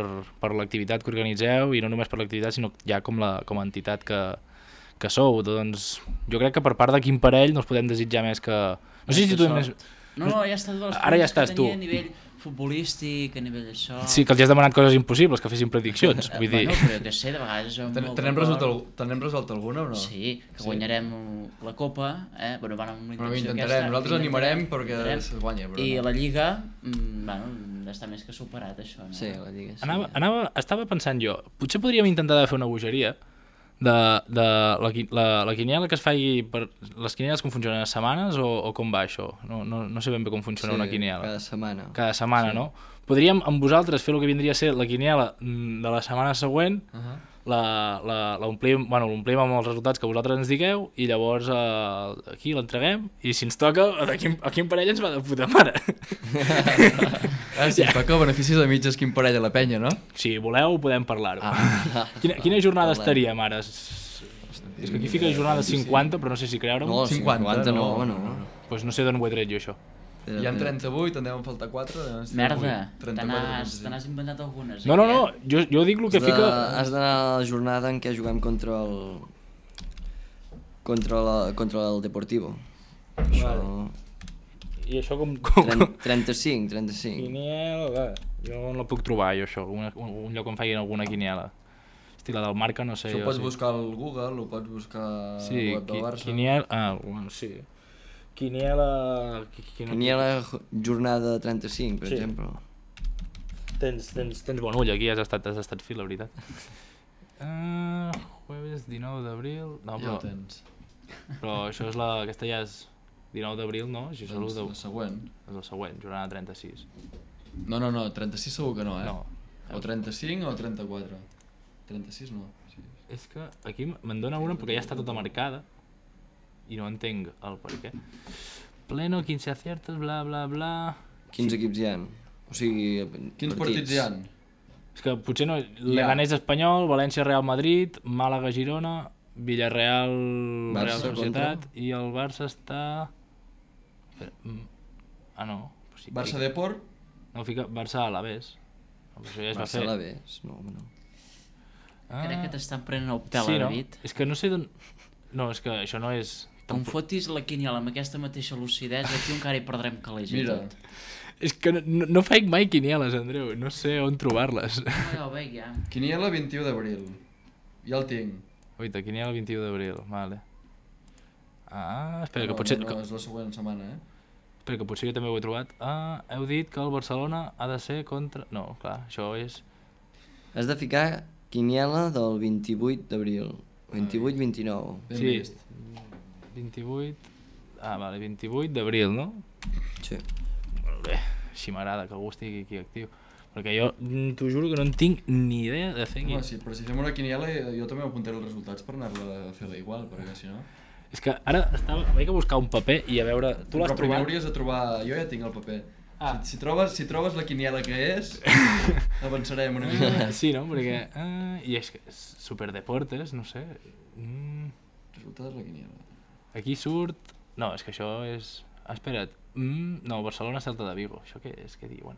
l'activitat que organitzeu, i no només per l'activitat, sinó ja com a entitat que sou. Doncs jo crec que per part de quin parell no us podem desitjar més que... No sé si tu més...
No, ja estàs tu.
Ara ja estàs tu.
A nivell futbolístic, a nivell d'això...
Sí, que els has demanat coses impossibles, que fessin prediccions. Vull dir...
Bueno, però que sé, de vegades...
Tenem resolt alguna o no?
Sí, que guanyarem la Copa, Bueno, van amb
intentarem, aquesta, nosaltres animarem perquè es guanya. Però
I la Lliga, bueno, està més que superat, això. No?
Sí, la Lliga,
sí.
Estava pensant jo, potser podríem intentar fer una bogeria de la quiniela que es faci per... Les quinieles com funcionen, a setmanes o com va això? No sé ben bé com funciona una quiniela.
Cada setmana.
Cada setmana, no? Podríem amb vosaltres fer el que vindria a ser la quiniela de la setmana següent, l'omplim amb els resultats que vosaltres ens digueu i llavors aquí l'entreguem i si ens toca, a quin parell ens va de puta mare.
Si ens toca beneficis de mitges quin parell a la penya, no?
Si voleu podem parlar-ho. Quina jornada estaríem ara? És que aquí fica jornada 50, però no sé si creure-ho.
No, 50 no, home, no.
Doncs no sé d'on ho he tret jo, això.
Hi ha 38, en deuen faltar 4.
Merda, te n'has inventat algunes.
No, jo dic el que fica...
Has d'anar a la jornada en què juguem contra el Deportivo.
I això com...
35.
Quiniela, jo no la puc trobar, jo, això, un lloc on facin alguna quiniela. Hosti, la del Marca, no sé...
Això ho pots buscar al Google, ho pots buscar al web del Barça.
Quiniela... bueno, sí. Quiniela
jornada 35, per exemple.
Tens bon ull aquí, has estat fi, la veritat. Jueves 19 d'abril... No,
ja ho tens.
Però això és aquesta ja és 19 d'abril, no?
Doncs la següent.
És la següent, jornada 36.
No, 36 segur que no,
No.
O 35 o 34. 36 no. Sí.
És que aquí me'n dona una perquè ja està tota marcada i no entenc el per què. Pleno, 15 aciertos, bla, bla, bla...
Quins equips hi ha? O sigui,
quins partits hi ha?
És que potser no... Leganés Espanyol, València Real Madrid, Màlaga Girona, Villarreal Real Societat i el Barça està... no.
Sí, Barça Deport?
No, fica Barça Alavés.
Barça Alavés, no.
Crec que t'estan prenent el pèl, David.
És que no sé d'on... No, és que això no és...
Com fotis la quiniela amb aquesta mateixa lucidesa, aquí encara hi perdrem calés i tot.
És que no faig mai quinieles, Andreu, no sé on trobar-les.
Ja ho veig, ja.
Quiniela 21 d'abril. Ja el tinc.
Oita, quiniela 21 d'abril, vale. Espera, que potser...
No, és la següent setmana,
Espera, que potser jo també ho he trobat. Heu dit que el Barcelona ha de ser contra... No, clar, això és...
Has de ficar quiniela del 28 d'abril. 28-29.
Sí, 28... vale, 28 d'abril, no?
Sí.
Molt bé, així m'agrada que algú estigui aquí actiu. Perquè jo t'ho juro que no en tinc ni idea de fer aquí.
Sí, però si fem una quiniela jo també m'apuntaré els resultats per anar-la a fer-la igual, perquè si no...
És que ara vaig a buscar un paper i a veure... Tu l'has trobat?
Però primer hauries de trobar... Jo ja tinc el paper. Si trobes la quiniela que és, avançarem una mica.
Sí, no? Perquè... I és que és superdeportes, no sé...
Resultat de la quiniela.
Aquí surt... No, és que això és... espera't. No, Barcelona-Celta de Vigo. Això què és? Què diuen?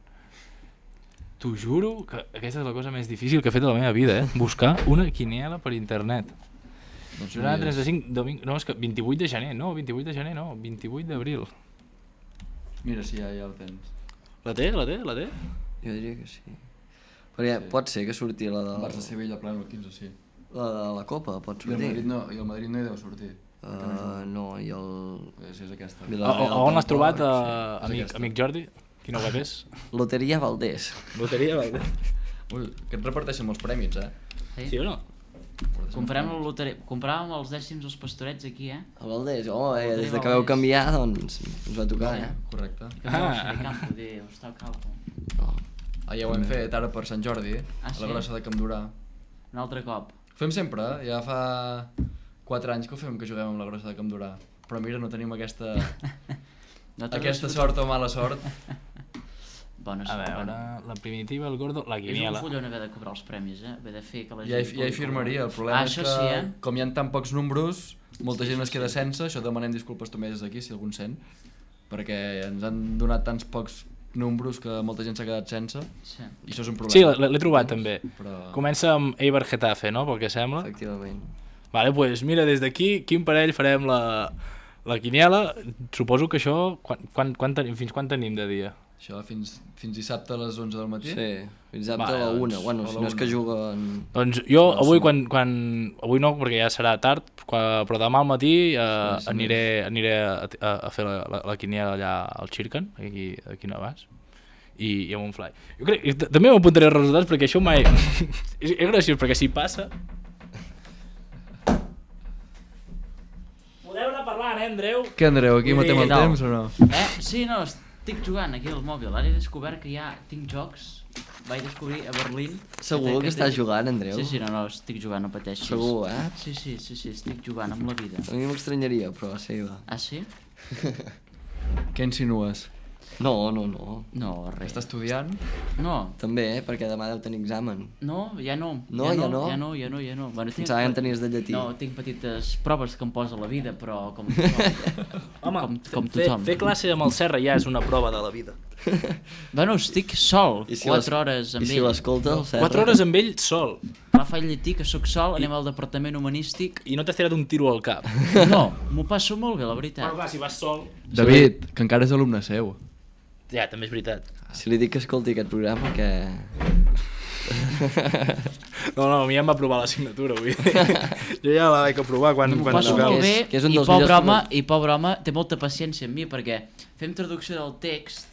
T'ho juro que aquesta és la cosa més difícil que he fet a la meva vida, Buscar una quiniela per internet. Jornada 35, domingo... No, és que 28 de gener, no, 28 de gener, no, 28 d'abril.
Mira, sí, ja el tens.
La té?
Jo diria que sí. Perquè pot ser que surti la de...
Barça-Sevilla pleno el 15, sí.
La de la Copa pot sortir.
I el Madrid no hi deu sortir.
No, i el...
Sí, és aquesta.
On l'has trobat, amic Jordi? Quina web és?
Loteria Valdés.
Loteria Valdés.
Ui, que et reparteixen molts premis,
Sí o no?
Compràvem els dècims dels pastorets aquí,
A Valdés, des que vau canviar, doncs, ens va tocar,
Correcte.
Campo, hostal Campo.
Ja ho hem fet ara per Sant Jordi, a la grossa de Campdorà.
Un altre cop.
Ho fem sempre, ja fa 4 anys que ho fem, que juguem amb la grossa de Campdorà. Però mira, no tenim aquesta sort o mala sort.
Bueno,
a veure, la primitiva, el gordo, la quiniela.
És un collon haver de cobrar els premis, haver de fer que la gent...
Ja hi firmaria, el problema és que com hi ha tan pocs números, molta gent es queda sense, això demanem disculpes també des d'aquí, si algun sent, perquè ens han donat tants pocs números que molta gent s'ha quedat sense, i això és un problema.
Sí, l'he trobat també. Comença amb Eibar Getafe, no?, pel que sembla.
Efectivament.
Vale, doncs mira, des d'aquí, quin parell farem la quiniela? Suposo que això, fins quan tenim de dia?
Això fins dissabte a les 11 del matí?
Sí, fins dissabte a la 1. Bueno, si no és que juguen...
Doncs jo avui, avui no, perquè ja serà tard, però demà al matí aniré a fer la quiniela allà al Xircan, aquí a Navàs, i amb un fly. Jo crec, també m'apuntaré els resultats perquè això mai... és graciós, perquè si passa... Podeu anar parlant, Andreu?
Què, Andreu, aquí matem el temps o no?
Sí, no, estic jugant aquí al mòbil. Ara he descobert que tinc jocs. Vaig descobrir a Berlín...
Segur que estàs jugant, Andreu?
Sí, no, estic jugant, no pateixis.
Segur,
Sí, estic jugant amb la vida.
A mi m'estranyaria, però sí, va.
Ah, sí?
Què insinues?
No.
No, res.
Estàs estudiant?
No.
També, perquè demà deu tenir examen.
No, ja no.
No, ja no?
Ja no. Bueno,
pensava que en tenies de llatí.
No, tinc petites proves que em posa la vida, però com tothom.
Home,
com tothom.
Fer classe amb el Serra ja és una prova de la vida.
Bueno, estic sol, 4 hores amb ell.
I si l'escolta el Serra?
4 hores amb ell sol.
Clar, faig llatí, que sóc sol, anem al departament humanístic.
I no t'has tirat un tiro al cap.
No, m'ho passo molt bé, la veritat.
Però clar, si vas sol...
David, que encara és alumne seu.
Ja, també és veritat.
Si li dic que escolti aquest programa, que...
No, a mi ja em va aprovar l'assignatura, vull dir. Jo ja la vaig aprovar quan
m'ho passo
tocava.
molt bé, i pobre home té molta paciència amb mi, perquè fem traducció del text,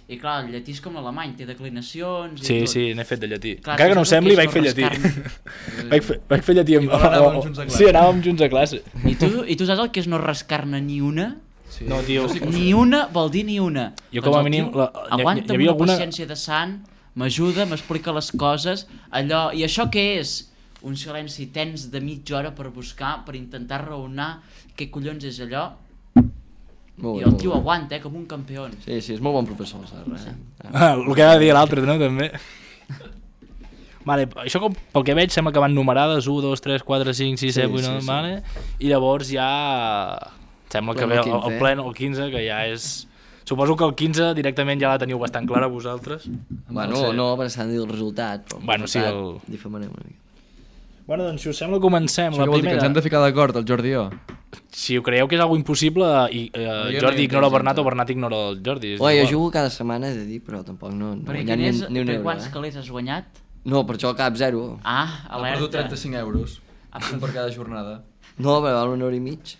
i clar, el llatí és com l'alemany, té declinacions i tot.
Sí, n'he fet de llatí.
Clar,
encara que no ho sembli, vaig fer llatí. Vaig fer llatí amb...
Anàvem junts a classe.
Sí, anàvem junts a classe.
I tu saps el que és no rascar-ne ni una?
Sí.
No, tio.
Ni una vol dir ni una.
Jo com a mínim...
Aguanta amb una paciència de sant, m'ajuda, m'explica les coses, allò... I això què és? Un silenci tens de mitja hora per buscar, per intentar raonar què collons és allò. I el tio aguanta, com un campió.
Sí, és molt bon professor, saps?
El que ha de dir l'altre, no, també. Vale, això pel que veig sembla que van numerades 1, 2, 3, 4, 5, 6, 7, 8, 9, vale? I llavors ja... Sembla que ve el plen, el 15, que ja és... Suposo que el 15 directament ja la teniu bastant clara vosaltres.
Bueno, no, perquè s'ha de dir el resultat, però
bueno, sí,
difamarem una mica.
Bueno, doncs si us sembla comencem la primera.
Que ens hem de ficar d'acord, el Jordi i jo.
Si ho creieu que és algo impossible, Jordi ignora el Bernat o Bernat ignora el Jordi.
Jo jugo cada setmana, he de dir, però tampoc no guanyat ni un euro.
Per quants calés has guanyat?
No, per això cap 0.
Ah, alerta.
Ha perdut 35 euros, un per cada jornada.
No, però val 1 euro i mig.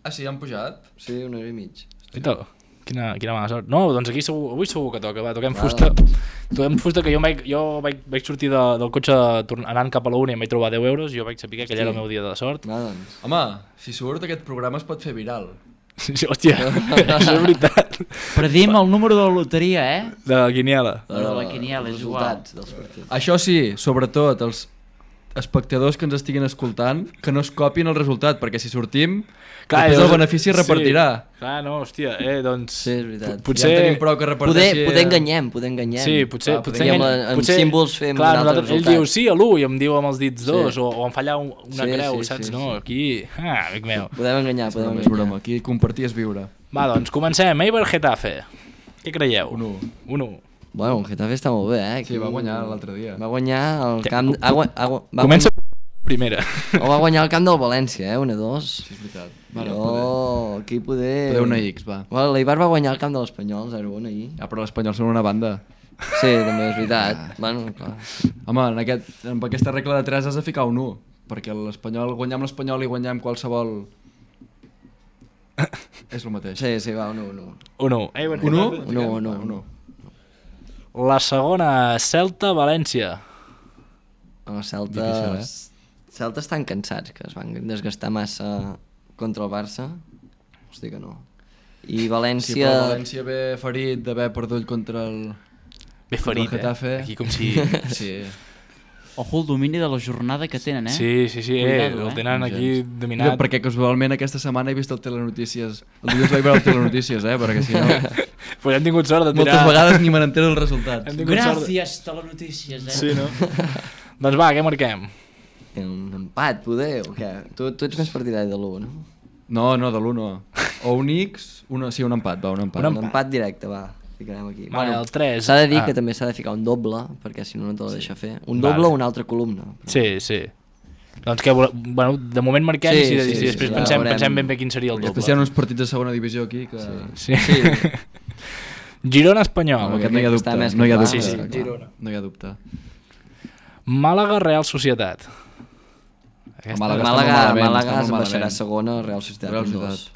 Ah, sí, han pujat?
Sí, 1 euro i mig.
Quina mala sort. No, doncs aquí avui segur que toca, va, toquem fusta. Toquem fusta, que jo vaig sortir del cotxe anant cap a la uni i em vaig trobar 10 euros i jo vaig saber que aquell era el meu dia de sort.
Doncs.
Home, si surt aquest programa es pot fer viral.
Sí, hòstia, això és veritat.
Predim el número de la loteria,
De la quiniela.
De la quiniela, és igual.
Això sí, sobretot els espectadors que ens estiguin escoltant, que no es copien el resultat, perquè si sortim, després el benefici es repartirà.
Sí. Clar, no, hòstia, doncs...
Sí, és veritat.
Potser...
Ja tenim prou que reparteixi...
Poder enganyem.
Sí, potser
amb símbols fem un altre resultat.
Ell diu sí a l'1 i em diu amb els dits 2, o em falla una creu, saps? No, aquí... amic meu.
Podem enganyar.
És broma, aquí compartir és viure.
Va, doncs, comencem. Eibar Getafe. Què creieu?
1-1.
Bueno, el Getafe està molt bé,
Sí, va guanyar l'altre dia.
Va guanyar el camp...
Comença primera.
O va guanyar el camp del València, 1-2.
Sí, és veritat.
Aquí poder...
Poder una X, va.
L'Eibar va guanyar el camp de l'Espanyol, 0-1 ahir.
Però l'Espanyol són una banda.
Sí, també és veritat. Bueno, clar.
Home, amb aquesta regla de 3 has de ficar un 1, perquè l'Espanyol, guanyar amb l'Espanyol i guanyar amb qualsevol... És el mateix.
Sí, va, 1-1.
1-1.
1-1.
La segona, Celta-València.
Els Celta estan cansats, que es van desgastar massa contra el Barça. Hosti que no. I València...
Sí, però València ve ferit d'haver perdut contra el...
Ve ferit,
Getafe.
Aquí com si...
Sí.
Ojo el domini de la jornada que tenen,
Sí,
Cuidado,
el tenen aquí dominat.
Perquè casualment aquesta setmana he vist el Telenotícies. El dilluns vaig veure el Telenotícies, perquè si no...
Pues hem tingut sort de tirar...
Moltes vegades ni me n'entero els resultats.
Gràcies, Telenotícies,
Sí, no?
Doncs va, què marquem?
Un empat, poder, o què? Tu ets més partidari de l'1, no?
No, de l'1 no. O un X, un empat, va, un empat.
Un empat directe, va. Ficarem aquí.
Vale, el 3.
S'ha de dir que també s'ha de ficar un doble, perquè si no, no te la deixa fer. Un doble o una altra columna.
Sí. Doncs que, bueno, de moment marquem i si després pensem ben bé quin seria el doble.
Després hi ha uns partits de segona divisió aquí que...
Sí. Girona-Espanyol.
Aquest no hi ha dubte. No hi ha dubte.
Sí, Girona.
No hi ha dubte.
Màlaga-Real Societat.
Màlaga es baixarà segona, Real Societat 2.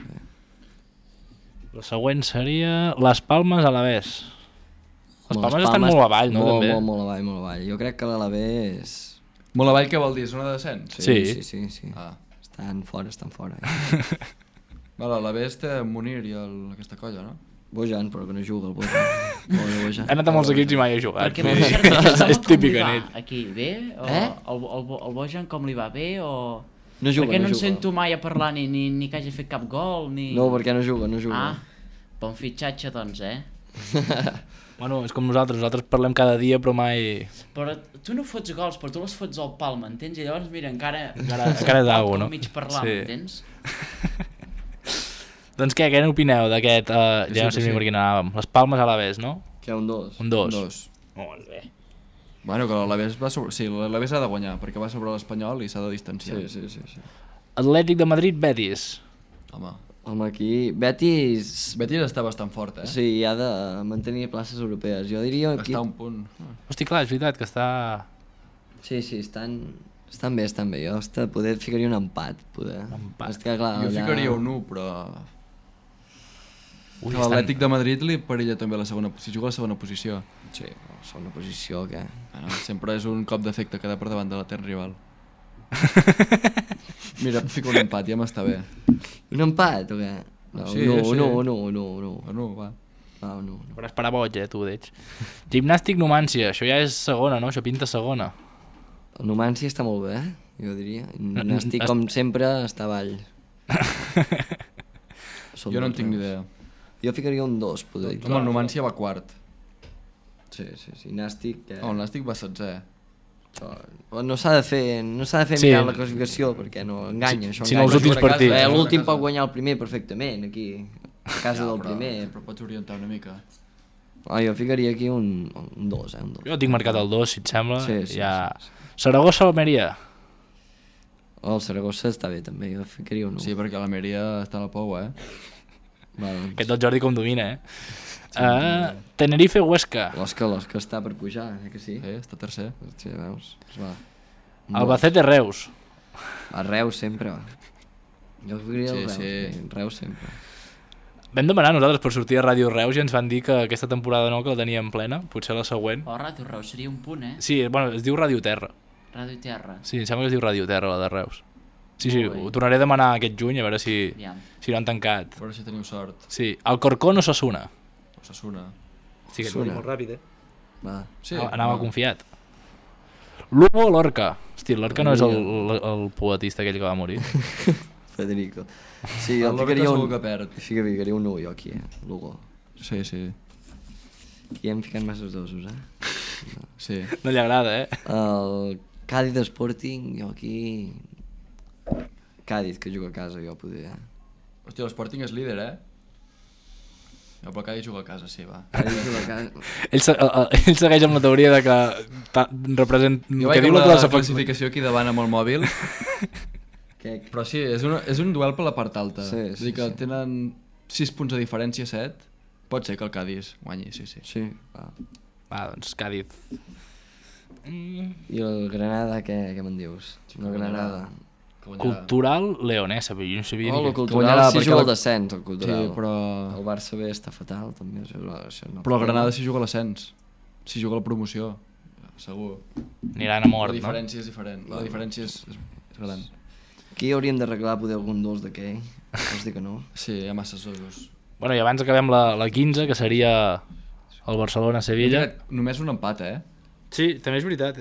La següent seria Les Palmes Alavés. Les Palmes estan molt avall, no?
Molt avall. Jo crec que l'Alavés...
Molt avall què vol dir? Zona de descens?
Sí. Estan fora.
L'Alavés té Munir i aquesta colla, no?
Bojan, però que no juga el Bojan.
Ha anat a molts equips i mai ha jugat.
És
típic en ell.
Aquí, bé? El Bojan com li va, bé? O...
No juga,
perquè no en sento mai a parlar ni que hagi fet cap gol, ni...
No, perquè no juga.
Bon fitxatge, doncs,
Bueno, és com nosaltres parlem cada dia, però mai...
Però tu no fots gols, però tu les fots al pal, m'entens? I llavors, mira, encara
és d'algú, no?
Mig parlar, m'entens?
Doncs què n'opineu d'aquest... Ja no sé ni per quin anàvem. Les Palmes Alavés, no?
Que un 2.
Un 2.
Molt bé.
Bueno, que l'Alavés l'Alavés ha de guanyar, perquè va sobre l'Espanyol i s'ha de distanciar.
Sí.
Atlètic de Madrid-Betis.
Home, aquí... Betis
està bastant fort,
Sí, ha de mantenir places europees. Jo diria...
Està a un punt.
Hosti, clar, és veritat que està...
Sí, estan bé. Jo poder ficaria un empat, poder.
Jo ficaria un 1, però... L'Atlètic de Madrid li perilla també si juga a la segona posició.
Sí, segona posició, què?
Bueno, sempre és un cop d'efecte quedar per davant de l'etern rival. Mira, fico un empat, ja m'està bé.
Un empat, o què?
No, va.
Faràs parar boig, tu, d'ells. Gimnàstic Numància, això ja és segona, no? Això pinta segona.
El Numància està molt bé, jo diria. Gimnàstic, com sempre, està avall.
Jo no en tinc ni idea.
Jo ficaria un 2, poder dir.
Home, el Numància va quart.
Sí. Nàstic...
El Nàstic va 16è.
No s'ha de fer mirar la classificació, perquè no enganya.
Si no els últims partits.
L'últim pot guanyar el primer perfectament, aquí, a casa del primer.
Però pots orientar una mica.
Jo ficaria aquí un 2, un 2.
Jo tinc marcat el 2, si et sembla.
Sí.
Saragossa-Almeria.
El Saragossa està bé, també. Jo ficaria un 1.
Sí, perquè l'Almeria està a la pou,
Aquest del Jordi com domina, Tenerife-Huesca.
L'Osca està per pujar, que sí?
Està tercer.
Sí, veus?
Albacete-Reus.
A Reus sempre, Jo ficaria el Reus. Reus sempre.
Vam demanar nosaltres per sortir a Ràdio Reus i ens van dir que aquesta temporada no, que la teníem plena, potser la següent.
Ràdio Reus seria un punt,
Sí, bueno, es diu Ràdio Terra.
Ràdio Terra.
Sí, em sembla que es diu Ràdio Terra, la de Reus. Sí, ho tornaré a demanar aquest juny, a veure si no han tancat.
A veure si teniu sort.
Sí, Alcorcón o Osasuna?
Osasuna.
Sí, que et molt ràpid, Anava confiat. Lugo o Lorca? Hosti, Lorca no és el poetista aquell que va morir.
Federico. Sí, jo ficaria un 1 jo aquí, Lugo.
Sí.
Aquí hem ficat masses dosos,
Sí.
No li agrada,
El Cádiz Sporting, jo aquí... Cádiz, que juga a casa, jo poder...
Hòstia, l'Sporting és líder, No, però Cádiz juga a casa, sí, va.
Cádiz juga a casa.
Ell segueix amb la teoria de que representa...
Jo vaig amb la classificació aquí davant amb el mòbil. Però sí, és un duel per la part alta. És a dir, que tenen 6 punts de diferència, 7. Pot ser que el Cádiz guanyi, sí.
Sí,
va, doncs Cádiz.
I el Granada, què me'n dius? El Granada.
Cultural Leonesa, però jo no sabia
el Cultural sí juga al descens, el Cultural. Sí, però... El Barça B està fatal, també.
Però el Granada sí juga a l'ascens. si juga a la promoció, segur.
Aniran a mort,
La diferència és diferent, la diferència és gran.
Aquí hauríem d'arreglar poder algun dos d'aquell. Vols dir que no?
Sí, hi ha masses osos.
Bueno, i abans acabem la 15, que seria el Barcelona-Sevilla.
Només un empat,
Sí, també és veritat,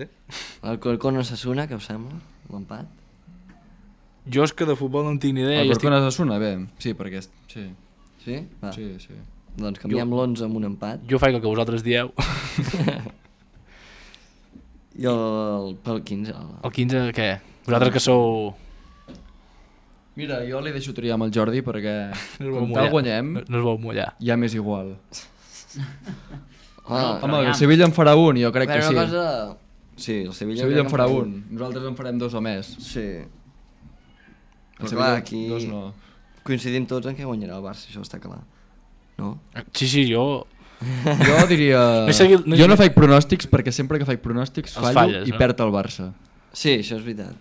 El Corcón-Osasuna, què us sembla? L'empat?
Jo és que de futbol no en tinc ni idea.
El Corcón-Osasuna, bé, sí, perquè... Sí,
Sí? Va.
sí.
Doncs canviem l'11 amb un empat.
Jo faig el que vosaltres dieu.
I pel 15.
El 15, què? Vosaltres que sou...
Mira, jo li deixo triar amb el Jordi perquè
No es vol
com
mullar.
tal guanyem,
No es vol mullar.
ja m'és igual.
Ah,
Home, el Sevilla en farà un, jo crec que sí.
una cosa... Sí, el Sevilla...
Sevilla en farà un, nosaltres en farem dos o més.
Sí.
El
Però
Sevilla,
clar, aquí
dos no.
coincidim tots en què guanyarà el Barça, això està clar. No?
Sí, jo...
Jo diria...
No
Jo no faig pronòstics perquè sempre que faig pronòstics
Els
fallo
falles,
i
no?
perd el Barça.
Sí, això és veritat.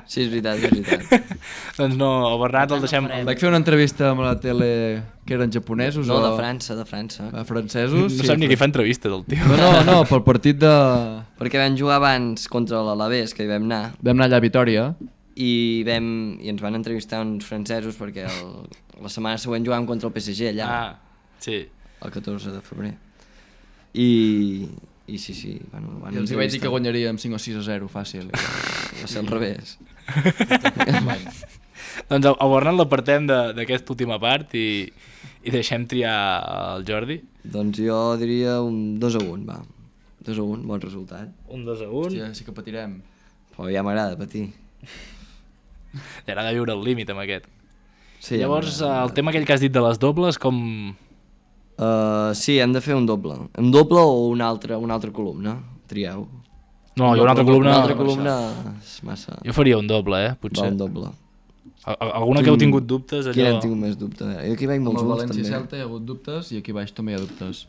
Sí, és veritat.
Doncs no, el Bernat el deixem...
Vaig fer una entrevista amb la tele que eren japonesos
No,
o...
de França.
Francesos.
No sap ni qui fa entrevistes, el tio.
No, pel partit de...
Perquè vam jugar abans contra l'Alavés, que hi vam anar,
Vam anar allà a Vitòria.
i ens van entrevistar uns francesos perquè la setmana següent jugàvem contra el PSG allà,
Sí.
el 14 de febrer. I sí, bueno, van
I els hi vaig dir que
entrevistar.
guanyaríem 5 o 6 a 0, fàcil.
Va ser al revés.
Doncs el Bernat l'apartem d'aquesta última part i deixem triar el Jordi.
Doncs jo diria un 2-1, va. 2-1, bon resultat.
Un 2-1.
Hòstia, sí que patirem.
Però ja m'agrada patir.
Ja agrada viure al límit amb aquest.
Sí,
Llavors,
ja m'agrada.
el tema aquell que has dit de les dobles, com...
Sí, hem de fer un doble. Un doble o una altra columna? Trieu.
No, jo una altra columna...
Una altra columna és massa...
Jo faria un doble,
Va,
potser.
un doble.
Alguna que heu tingut dubtes,
Quin
allò...
hem tingut més dubte? Jo aquí veig
Amb
molts
el
gols,
València
també.
Celta hi ha hagut dubtes i aquí baix també hi ha dubtes.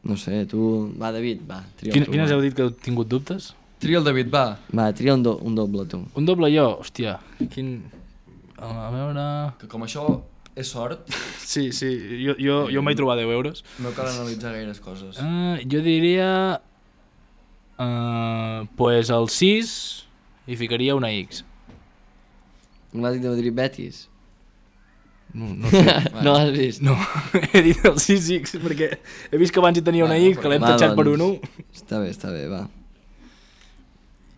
No sé, tu... Va, David, va. Tria tu,
Quines
va.
heu dit que heu tingut dubtes?
Tria el David, va.
Va, tria un doble, tu.
Un doble jo, hòstia. Quin... A veure...
Que com això és sort,
Sí, jo m'he trobat 10 euros.
no cal analitzar gaires coses.
Jo diria... pues el 6 i ficaria una X.
L'Atlètic de Madrid Betis.
No sé.
No l'has vist?
No, he dit el 6X perquè he vist que abans hi tenia una
Bueno,
X, que l'hem
Va,
tatxat per un
doncs,
1
Està bé, va.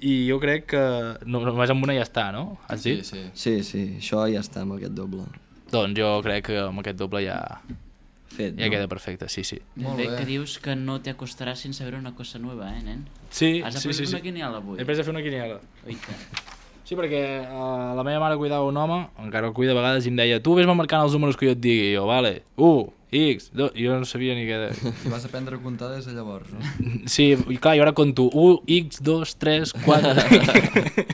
i jo crec que només amb una ja està, no? Has dit?
Sí.
Sí, això ja està amb aquest doble.
Doncs jo crec que amb aquest doble ja
Fet,
queda perfecte, sí.
Molt
Bé,
bé.
que dius que no te acostaràs sin saber una cosa nueva, nen?
Sí,
Has
sí,
après
sí.
una quiniela avui?
He pres a fer una quiniela.
Oita.
Sí, perquè la meva mare cuidava un home, encara el cuida a vegades, i em deia tu vés-me marcant els números que jo et digui, i jo, vale, 1, X, 2, i jo no sabia ni què...
I vas aprendre a comptar des de llavors, no?
Sí, i clar, jo ara conto 1, X, 2, 3, 4...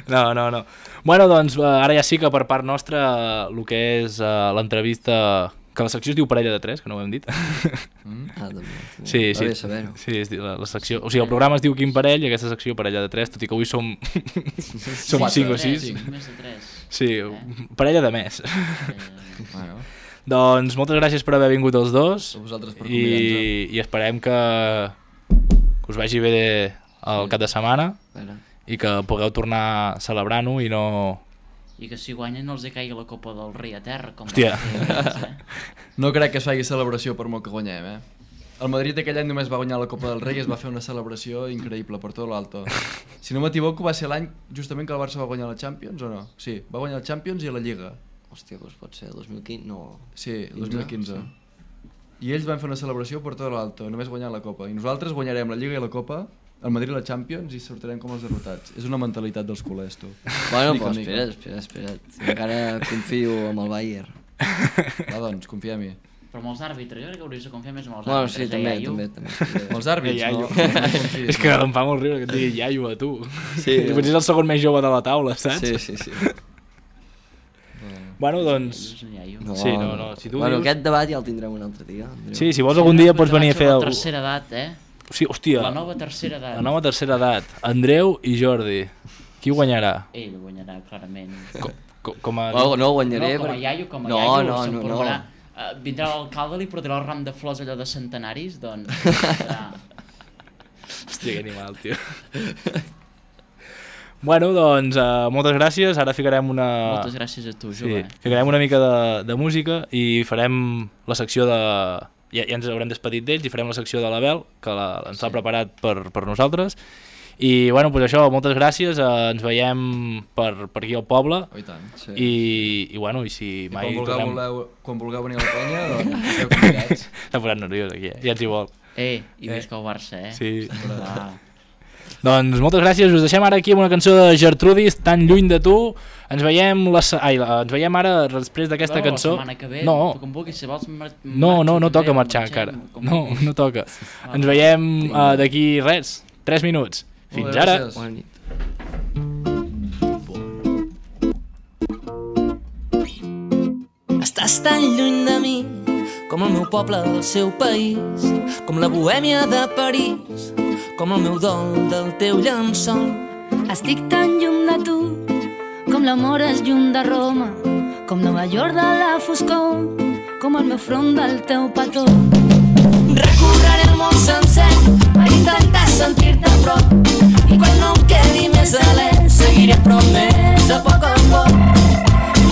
No. Bueno, doncs ara ja sí que per part nostra el que és l'entrevista, que la secció es diu Parella de 3, que no ho hem dit.
També.
Sí.
Va bé saber-ho.
Sí, la secció... O sigui, el programa es diu Quin Parell i aquesta secció Parella de 3, tot i que avui som 5 o 6.
Més de 3.
Sí, parella de més.
Bueno,
Doncs moltes gràcies per haver vingut els dos
a vosaltres per convidar-nos.
i esperem que us vagi bé el cap de setmana i que pugueu tornar celebrant-ho i no...
I que si guanyen no els hi caigui la Copa del Rei a terra. Com
Hòstia.
No crec que es faci celebració per molt que guanyem, El Madrid aquell any només va guanyar la Copa del Rei i es va fer una celebració increïble per tot l'alto. Si no m'equivoco va ser l'any justament que el Barça va guanyar la Champions o no? Sí, va guanyar la Champions i la Lliga.
Hòstia, doncs pot ser el 2015, no...
Sí, el 2015. I ells van fer una celebració per tot l'alto, només guanyant la Copa. I nosaltres guanyarem la Lliga i la Copa, el Madrid la Champions i sortirem com els derrotats. És una mentalitat dels culers, tu.
Bueno,
Mica,
però
mica.
espera't. Encara confio amb el Bayern.
Va, doncs, confia en mi.
Però amb els àrbitres, jo crec que hauries de confiar més amb els
Bueno,
àrbitres.
sí, també.
Amb els àrbits,
Iaio.
no confiïs,
És que
no.
em fa molt riure que et digui iaio a tu.
Sí,
Potser és el segon més jove de la taula, saps?
Sí.
Bueno, doncs...
És un iaio.
No,
Sí, no. Si tu
bueno,
dius-
aquest debat ja el tindrem un altre dia. Andreu.
Sí, si vols algun dia pots venir a fer...
La tercera edat,
Sí, hòstia,
La nova tercera edat.
la nova tercera edat. Andreu i Jordi. Qui guanyarà?
Ell guanyarà, clarament.
Com a...
No guanyaré.
No, com a
perquè-
iaio, com a
No,
iaio,
no,
se'n
no,
provarà. vindrà l'alcalde, li portarà el ram de flors allò de centenaris, doncs serà...
Hòstia, que animal, tio. Bueno, doncs moltes gràcies, ara ficarem una...
Moltes gràcies a tu, jove.
Sí, ficarem una mica de música i farem la secció de... Ja ens haurem despedit d'ells i farem la secció de l'Abel, que ens l'ha preparat per nosaltres. I bueno, doncs això, moltes gràcies, ens veiem per aquí al poble.
Oh, i tant, sí.
I bueno, i si mai
quan vulgueu venir a la penya, doncs esteu convidats.
S'ha posat nerviós aquí, ja ens hi vol.
I visca el Barça,
Sí. Doncs moltes gràcies, us deixem ara aquí amb una cançó de Gertrudis, Tan lluny de tu. Ens veiem ens veiem ara després d'aquesta cançó.
La setmana que ve,
no,
com vulguis, si vols
no toca marxar encara. No toca. Ens veiem d'aquí res, 3 minuts. Fins ara.
Bona nit.
Estàs tan lluny de mi com el meu poble del seu país, com la bohèmia de París, com el meu dol del teu llençol.
Estic tan lluny de tu com l'amor és lluny de Roma, com Nova York de la foscor, com el meu front del teu petó.
Recorreré el món sencer per intentar sentir-te a prop, i quan no em quedi més alè seguiré a prop més a poc a poc.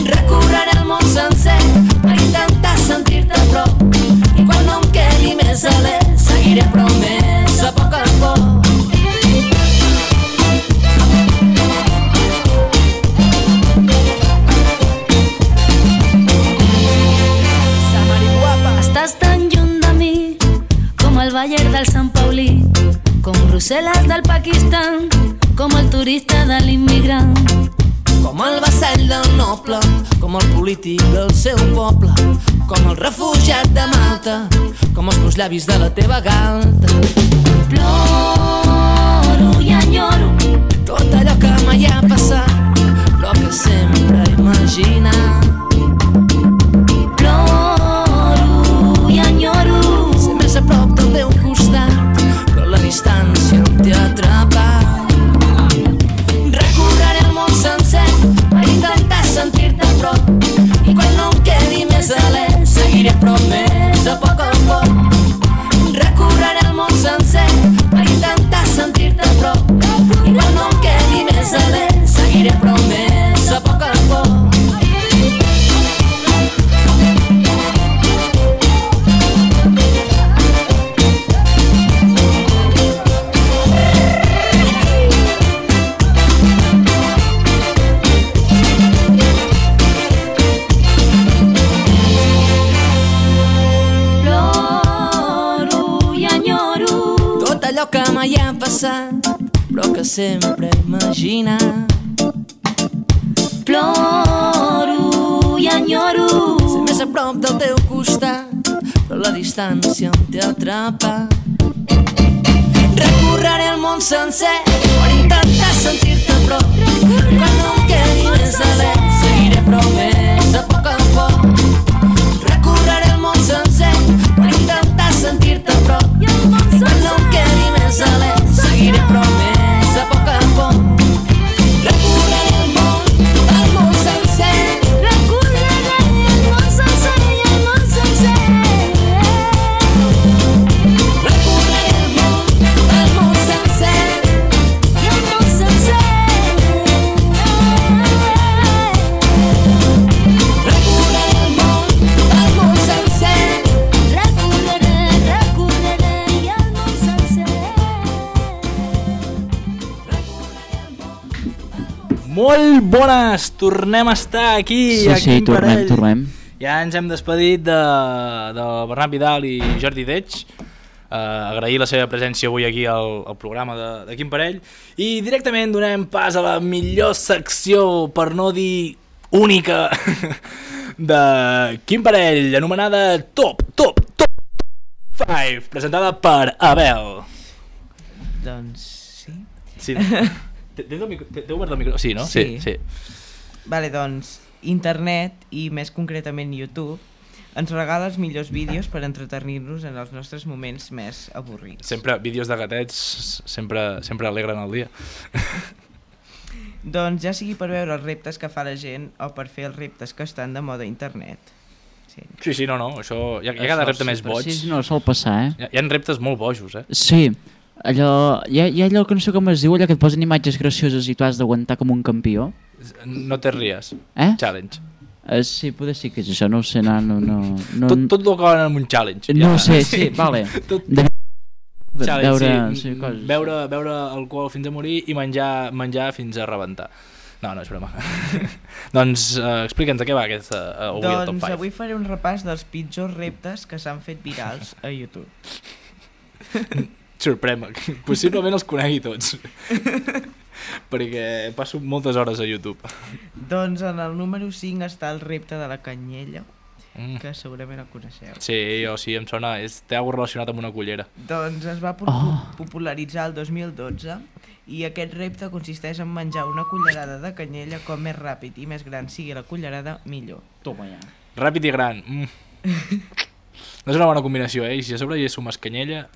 Recorreré el món sencer per intentar sentir-te a prop, i quan no em quedi més alè seguiré a prop més a poc a poc.
Estàs tan lluny de mi com el Bayern del Sant Paulí, com Brussel·les del Pakistan, com el turista de l'immigrant,
com el vassall del noble, com el polític del seu poble, com el refugiat de Malta, com els meus llavis de la teva galta.
Ploro i enyoro
tot allò que mai ha passat, però que sempre he imaginat.
Ploro i enyoro
ser més a prop del teu costat, però la distància em té atrapat. Recorreré el món sencer per intentar sentir-te a prop, i quan no em quedi més alè seguiré a prop més a poc a poc. Recorreré el món sencer per intentar sentir-te a prop, i quan no em quedi més alè seguiré a prop més a poc a poc. Allò que mai ha passat, però que sempre he imaginat.
Ploro i enyoro
ser més a prop del teu costat, però la distància em té atrapat. Recorreré el món sencer per intentar sentir-te a prop, quan no em quedi més alè seguiré a prop més a poc a poc. Recorreré el món sencer per intentar sentir-te a prop, quan no em quedi més alè seguiré a prop més a poc a poc. Recorreré el món sencer,
recorreré el món sencer i el món sencer.
Recorreré el món sencer
I el món sencer.
Recorreré el món sencer.
Recorreré i el món sencer.
Molt bones! Tornem a estar aquí, a Quim Parell.
tornem.
Ja ens hem despedit de Bernat Vidal i Jordi Deig. Agrair la seva presència avui aquí al programa de Quim Parell. I directament donem pas a la millor secció, per no dir única, de Quim Parell, anomenada Top 5, presentada per Abel.
Doncs sí.
Sí. T'he obert el micro? Sí, no?
Sí.
Sí.
Vale, doncs internet, i més concretament YouTube, ens regala els millors vídeos per entretenir-nos en els nostres moments més avorrits.
Sempre vídeos de gatets sempre alegren el dia.
Doncs ja sigui per veure els reptes que fa la gent o per fer els reptes que estan de moda a internet.
Sí, no, això... Hi ha cada repte més boig.
Sí, no, sol passar,
Hi ha reptes molt bojos,
Sí, allò... Hi ha allò que no sé com es diu, allò que et posen imatges gracioses i tu has d'aguantar com un campió.
No te ries. Challenge.
Sí, poder sí que és això, no ho sé, no...
Tot el que va en un challenge.
No sé, sí, vale.
Beure alcohol fins a morir i menjar fins a rebentar. No, és broma. Doncs explica'ns a què va aquesta avui el Top 5.
Doncs avui faré un repàs dels pitjors reptes que s'han fet virals a YouTube.
Sorprèn-me, possiblement els conegui tots. Perquè passo moltes hores a YouTube.
Doncs en el número 5 està el repte de la canyella, que segurament el coneixeu.
Sí, em sona, té alguna relacionat amb una cullera.
Doncs es va popularitzar el 2012 i aquest repte consisteix en menjar una cullerada de canyella com més ràpid i més gran sigui la cullerada, millor.
Toma ja.
Ràpid i gran. No és una bona combinació, I si a sobre hi sumes canyella...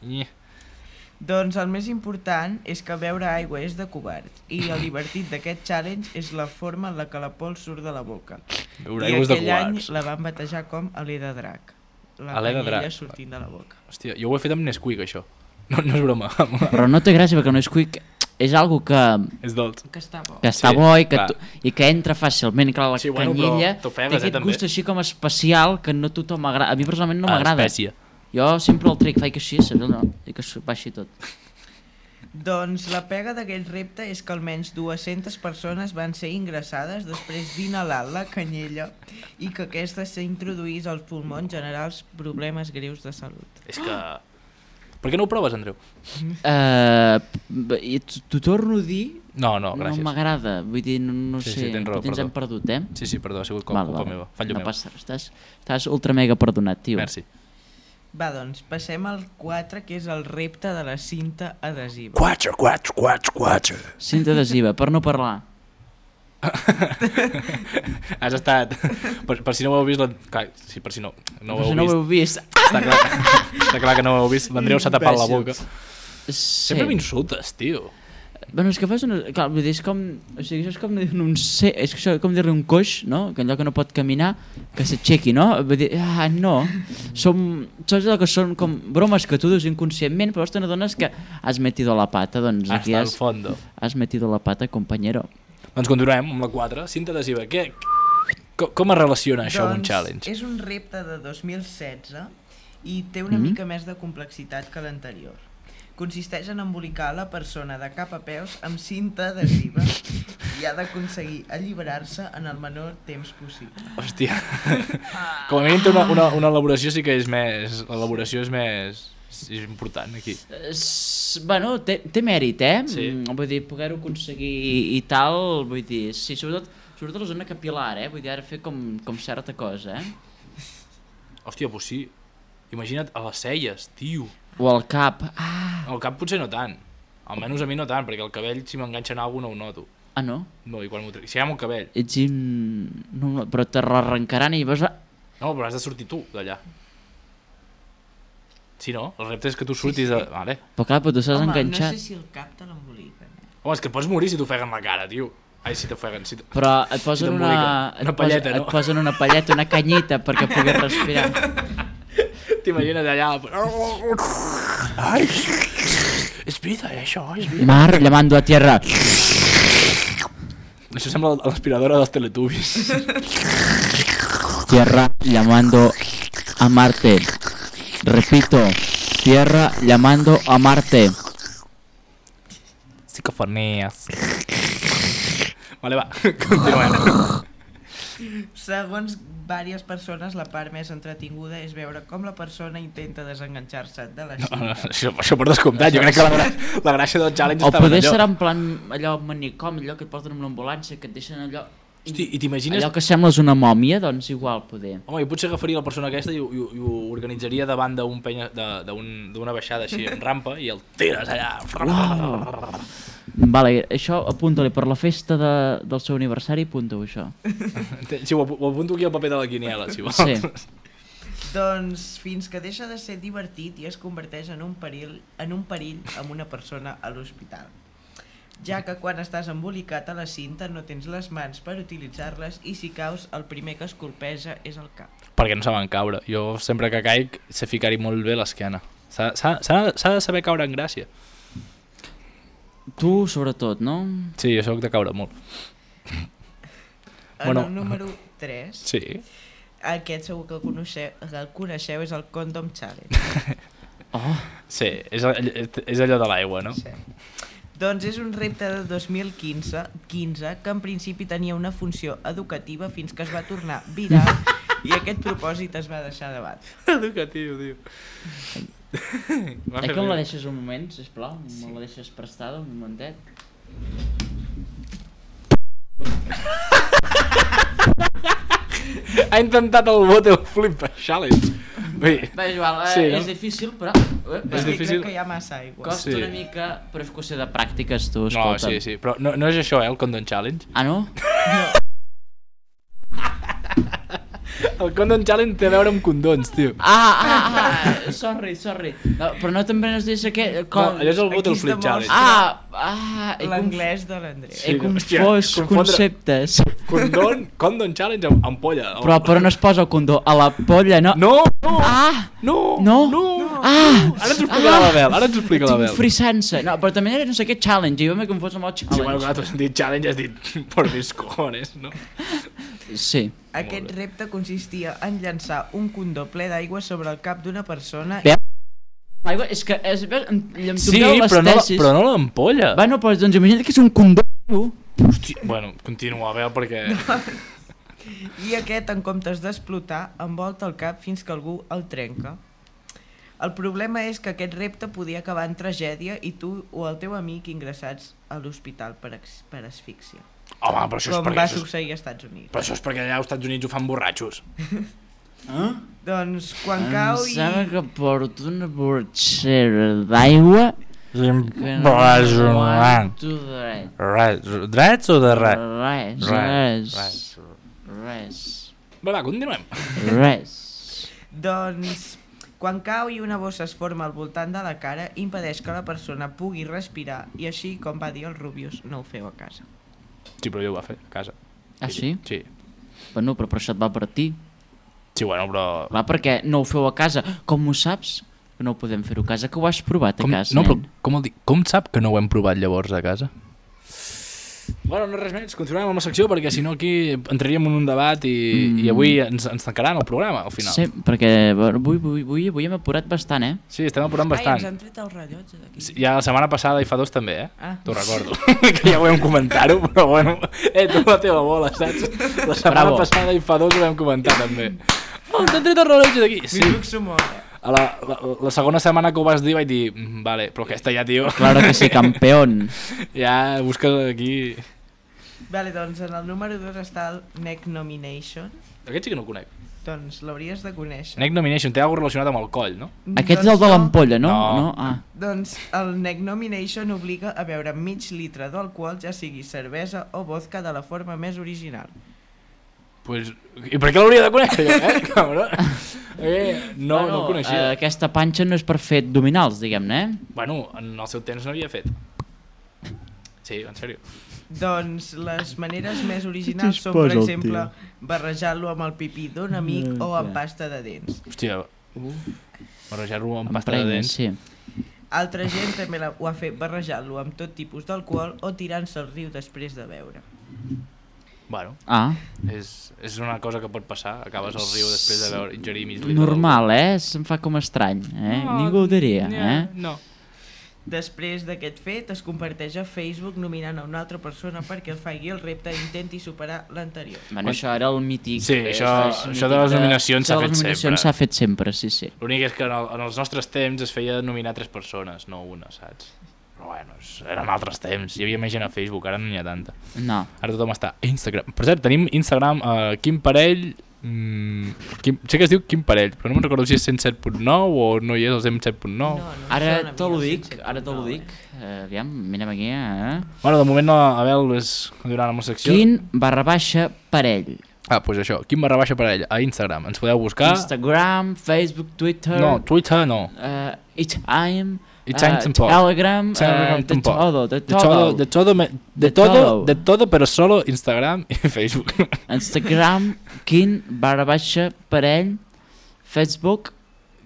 Doncs el més important és que beure aigua és de covards i el divertit d'aquest challenge és la forma en la que la pols surt de la boca.
Beure aigua és de
covards. I aquell any la van batejar com alè de drac. La canyella sortint de la boca.
Hòstia, jo ho he fet amb Nesquik, això. No és broma.
Però no té gràcia perquè Nesquik és algo que...
És dolç.
Que està bo.
Que està bo i que entra fàcilment. Clar, la canyella té aquest gust així com especial que no tothom m'agrada. A mi personalment no m'agrada.
Espècia.
Jo sempre el trec, faig així, saps? No, i que baixi tot.
Doncs la pega d'aquest repte és que almenys 200 persones van ser ingressades després d'inhalar la canyella i que aquesta s'introduís als pulmons generals problemes greus de salut.
És que... Per què no ho proves, Andreu?
T'ho torno a dir...
No, gràcies.
No m'agrada, vull dir, no sé, potser ens hem perdut,
Sí, perdó, ha sigut culpa meva, fallo meu.
No passa, estàs ultra mega perdonat, tio.
Merci.
Va, doncs, passem al 4, que és el repte de la cinta adhesiva.
4.
Cinta adhesiva, per no parlar.
Has estat... Per si no ho heu vist... Sí, per si no ho heu
vist.
Està clar que no ho heu vist. L'Andreu s'ha tapat la boca. Sempre m'insultes, tio.
Bueno, és que fas una... Clar, vull dir, és com... O sigui, això és com dir-ne un... És que això com dir-li un coix, no? Que allò que no pot caminar, que s'aixequi, no? Vull dir, no. Saps allò que són com bromes que tu dius inconscientment, però te n'adones que has metido la pata, doncs aquí has metido la pata, compañero.
Doncs continuem amb la 4, cinta adhesiva. Com es relaciona això amb un challenge?
És un repte de 2016 i té una mica més de complexitat que l'anterior. Consisteix en embolicar la persona de cap a peus amb cinta adhesiva i ha d'aconseguir alliberar-se en el menor temps possible.
Hòstia, com a mínim té una elaboració sí que és més... L'elaboració és més... És important aquí.
Bueno, té mèrit, Sí. Vull dir, poder-ho aconseguir i tal, vull dir, sí, sobretot la zona capilar, Vull dir, ara fer com certa cosa,
Hòstia, pues sí. Imagina't a les celles, tio.
O al cap.
Al cap potser no tant. Almenys a mi no tant, perquè el cabell si m'enganxa en alguna no ho noto.
Ah, no?
No, i quan m'ho trec... Si hi ha el cabell.
No, però te l'arrencaran i vas a...
No, però has de sortir tu d'allà. Sí, no? El repte és que tu surtis de... Vale.
Però clar, però tu s'has enganxat.
No sé si el cap te l'emboliquen.
Home, és que pots morir si t'ofeguen la cara, tio. Ai, si t'ofeguen...
Però et posen
una palleta, no?
Et posen una palleta, una canyita perquè puguis respirar.
T'imagines allà... Ai, és vida, això, és vida.
Mar llamando a tierra.
Això sembla l'aspiradora dels Teletubbies.
Tierra llamando a Marte. Repito, tierra llamando a Marte.
Psicofonías. Vale, va, continuem.
Segons diverses persones, la part més entretinguda és veure com la persona intenta desenganxar-se de la cinta.
No, això per descomptat, jo crec que la gràcia del challenge estava allò.
O poder serà en plan allò manicomi, allò que et porten amb l'ambulància, que et deixen allò...
Hosti, i t'imagines...
Allò que sembles una mòmia, doncs igual poder.
Home, jo potser agafaria la persona aquesta i ho organitzaria davant d'una baixada així en rampa i el tires allà.
Wow. Vale, això apunta-li per la festa del seu aniversari, apunta-ho això.
Sí, ho apunto aquí al paper de la quiniela, si vols.
Sí.
Doncs fins que deixa de ser divertit i es converteix en un perill amb una persona a l'hospital. ja que quan estàs embolicat a la cinta no tens les mans per utilitzar-les i si caus el primer que es colpeja és el cap.
Perquè no saben caure. Jo sempre que caic sé ficar-hi molt bé l'esquena. S'ha de saber caure en gràcia.
Tu, sobretot, no?
Sí, jo soc de caure molt.
En el número 3,
sí.
Aquest segur que el coneixeu, és el Condom Challenge.
Sí, és allò de l'aigua, no?
Sí. Doncs és un repte de 2015 que en principi tenia una funció educativa fins que es va tornar viral i aquest propòsit es va deixar de banda.
Educatiu, tio.
Que em la deixes un moment, sisplau? Sí. Me la deixes prestada un momentet?
Ha intentat el Bottle Flip Challenge.
Bé, Joan, és difícil, però...
És difícil.
Crec que hi ha massa aigua.
Costa una mica, però és qüestió de pràctiques, tu, escolta.
No, sí, però no és això, el Condom Challenge.
Ah, no?
No.
El Condom Challenge té a veure amb condons, tio.
Sorry. No, però no també nos dius aquest...
No, allò és el Bottle Flip Challenge.
L'anglès de l'Andreu.
He confós conceptes.
Condom Challenge amb ampolla.
Però no es posa el condó a la polla, no?
No!
No!
Ara ens ho explica la Bel.
Tinc frisança. No, però també era no sé què challenge, jo m'he confós amb el challenge.
Sí, bueno, clar, tu has dit challenge, has dit por mis cojones, no?
Sí.
Aquest repte consistia en llançar un condó ple d'aigua sobre el cap d'una persona...
L'aigua, és que...
Sí, però no l'ampolla.
Bueno, doncs imagina't que és un condó.
Hòstia, bueno, continua, Bel, perquè...
I aquest, en comptes d'explotar, envolta el cap fins que algú el trenca. El problema és que aquest repte podia acabar en tragèdia i tu o el teu amic ingressats a l'hospital per asfíxia.
Home, però això és perquè...
Com va succeir als Estats Units.
Però això és perquè allà als Estats Units ho fan borratxos.
Doncs quan cau i...
Em sembla que porto una borratxera d'aigua...
Drets o de res?
Res.
Va, continuem.
Res.
Doncs quan cau i una bossa es forma al voltant de la cara impedeix que la persona pugui respirar i així, com va dir el Rubius, no ho feu a casa.
Sí, però jo ho va fer a casa.
Ah, sí?
Sí.
Bueno, però això et va per ti.
Sí, bueno, però...
Clar, perquè no ho feu a casa. Com ho saps? Que no ho podem fer a casa, que ho has provat a casa,
no, però com sap que no ho hem provat llavors a casa? Bueno, no res més, continuem amb la secció perquè si no aquí entraríem en un debat i avui ens tancaran el programa al final.
Sí, perquè avui hem apurat bastant, eh?
Sí, estem apurant bastant.
Ai, ens han tret el rellotge d'aquí.
Sí, ja la setmana passada i fa 2 també, T'ho recordo. Que ja ho vam comentar-ho, però bueno, tu la teva bola, saps? La setmana passada i fa 2 ho vam comentar també. Ens han tret el rellotge d'aquí. Sí. La segona setmana que ho vas dir vaig dir vale, però aquesta ja, tio.
Claro que sí, campeón.
Ja busques aquí.
Vale, doncs en el número 2 està el Neck Nomination.
Aquest sí que no ho conec.
Doncs l'hauries de conèixer.
Neck Nomination, té alguna cosa relacionat amb el coll, no?
Aquest és el de l'ampolla, no?
Doncs el Neck Nomination obliga a beure mig litre d'alcohol, ja sigui cervesa o vodka, de la forma més original.
Pues, i per què l'hauria de conèixer, cabrón? No ho coneixia.
Aquesta panxa no és per fer abdominals, diguem-ne,
Bueno, en el seu temps no havia fet. Sí, en sèrio.
Doncs les maneres més originals són, per exemple, barrejar-lo amb el pipí d'un amic o amb pasta de dents.
Hòstia, barrejar-lo amb pasta de dents.
Sí.
Altra gent també ho ha fet barrejar-lo amb tot tipus d'alcohol o tirant-se al riu després de beure.
Bueno, és una cosa que pot passar, acabes al riu després de beure, ingerir mig litre.
Normal, se'm fa com estrany, Ningú ho diria,
No.
Després d'aquest fet, es comparteix a Facebook nominant a una altra persona perquè el faci el repte i intenti superar l'anterior.
Bueno, això era el mític.
Sí, això de les nominacions s'ha fet sempre.
Les nominacions s'ha fet sempre, sí.
L'únic és que en els nostres temps es feia nominar 3 persones, no una, saps? Però bueno, eren altres temps, hi havia més gent a Facebook, ara no n'hi ha tanta.
No.
Ara tothom està a Instagram. Per cert, tenim Instagram, Quim Parell... sé que es diu Quim Parell, però no me'n recordo si és 107.9 o no hi és el 107.9.
Ara te l'ho dic, aviam, mirem aquí,
Bueno, de moment Abel és continuant amb la secció.
Quim_Parell.
Doncs això, Quim_Parell a Instagram, ens podeu buscar.
Instagram, Facebook, Twitter.
No, Twitter no.
I'm
I Change tampoc.
Telegram, de
todo, però solo Instagram i Facebook.
Instagram, Quin_parell, Facebook,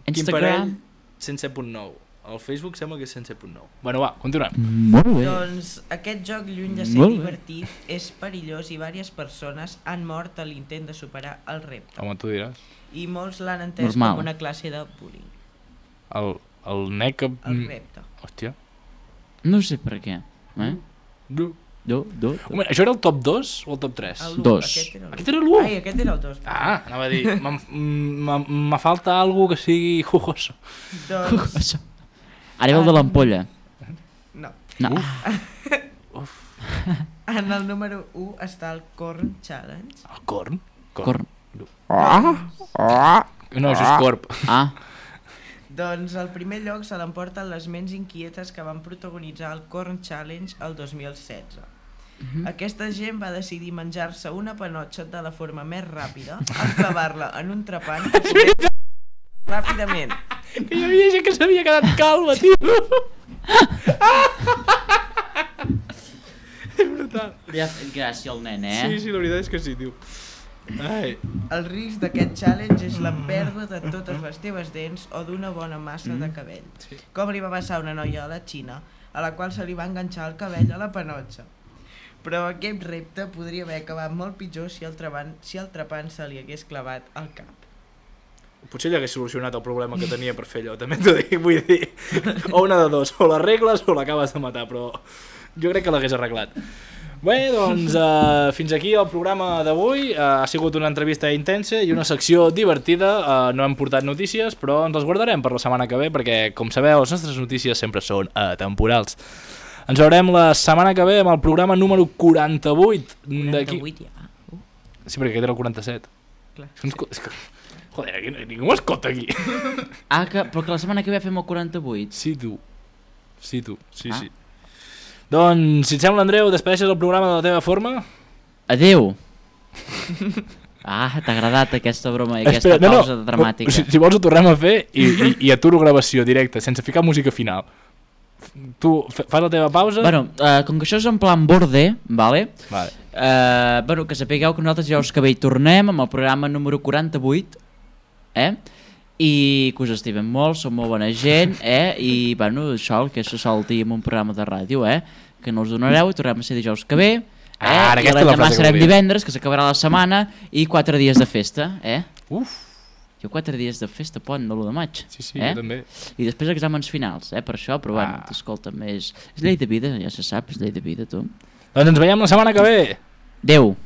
Instagram...
107.9. El Facebook sembla que és 107.9. Bueno, va, continuem.
Molt bé.
Doncs aquest joc, lluny de ser divertit, és perillós i diverses persones han mort a l'intent de superar el repte.
Home, tu diràs.
I molts l'han entès com una classe de bullying.
El nec...
El repte.
Hòstia.
No sé per què.
Home, això era el top 2 o el top 3?
El 2.
Aquest era l'1?
Ai, aquest era el 2.
Ah, anava a dir, me falta algo que sigui jugoso.
Doncs...
Ara ve el de l'ampolla.
No.
Uf.
En el número 1 està el Corn Challenge.
El corn?
Corn.
No, això és corp.
Doncs al primer lloc se l'emporten les ments inquietes que van protagonitzar el Corn Challenge el 2016. Aquesta gent va decidir menjar-se una panotxa de la forma més ràpida, enclavar-la en un trepant ràpidament.
Que hi havia gent que s'havia quedat calma, tio. És brutal.
Li ha fet gràcia al nen,
Sí, la veritat és que sí, tio. Ai.
El risc d'aquest challenge és la pèrdua de totes les teves dents o d'una bona massa de cabell. Com li va passar a una noia a la Xina, a la qual se li va enganxar el cabell a la panotxa. Però aquest repte podria haver acabat molt pitjor si el trepant se li hagués clavat al cap.
Potser ell hagués solucionat el problema que tenia per fer allò, també t'ho dic, vull dir, o una de dos, o l'arregles o l'acabes de matar, però jo crec que l'hagués arreglat. Bé, doncs fins aquí el programa d'avui, ha sigut una entrevista intensa i una secció divertida, no hem portat notícies, però ens les guardarem per la setmana que ve, perquè, com sabeu, les nostres notícies sempre són atemporals. Ens veurem la setmana que ve amb el programa número 48.
48, ja.
Sí, perquè aquest era el 47.
Clar.
Joder, ningú m'escolta aquí.
Però que la setmana que ve fem el 48.
Sí, tu. Sí. Doncs, si et sembla, Andreu, despedeixes el programa de la teva forma?
Adeu. T'ha agradat aquesta broma i aquesta pausa dramàtica.
Si vols ho tornem a fer i aturo gravació directa, sense ficar música final. Tu fas la teva pausa?
Bueno, com que això és en plan borde, vale?
Vale.
Que sapigueu que nosaltres ja us que bé hi tornem amb el programa número 48, i que us estimem molt, som molt bona gent, i bueno, això el que se sol dir en un programa de ràdio, que no us donareu i tornem a ser dijous que ve, i l'endemà serem divendres, que s'acabarà la setmana, i 4 dies de festa,
Uf!
Jo 4 dies de festa pont de l'1 de maig.
Sí, jo també.
I després exàmens finals, per això, però bueno, escolta'm, és llei de vida, ja se sap, és llei de vida, tu.
Doncs ens veiem la setmana que ve.
Adeu.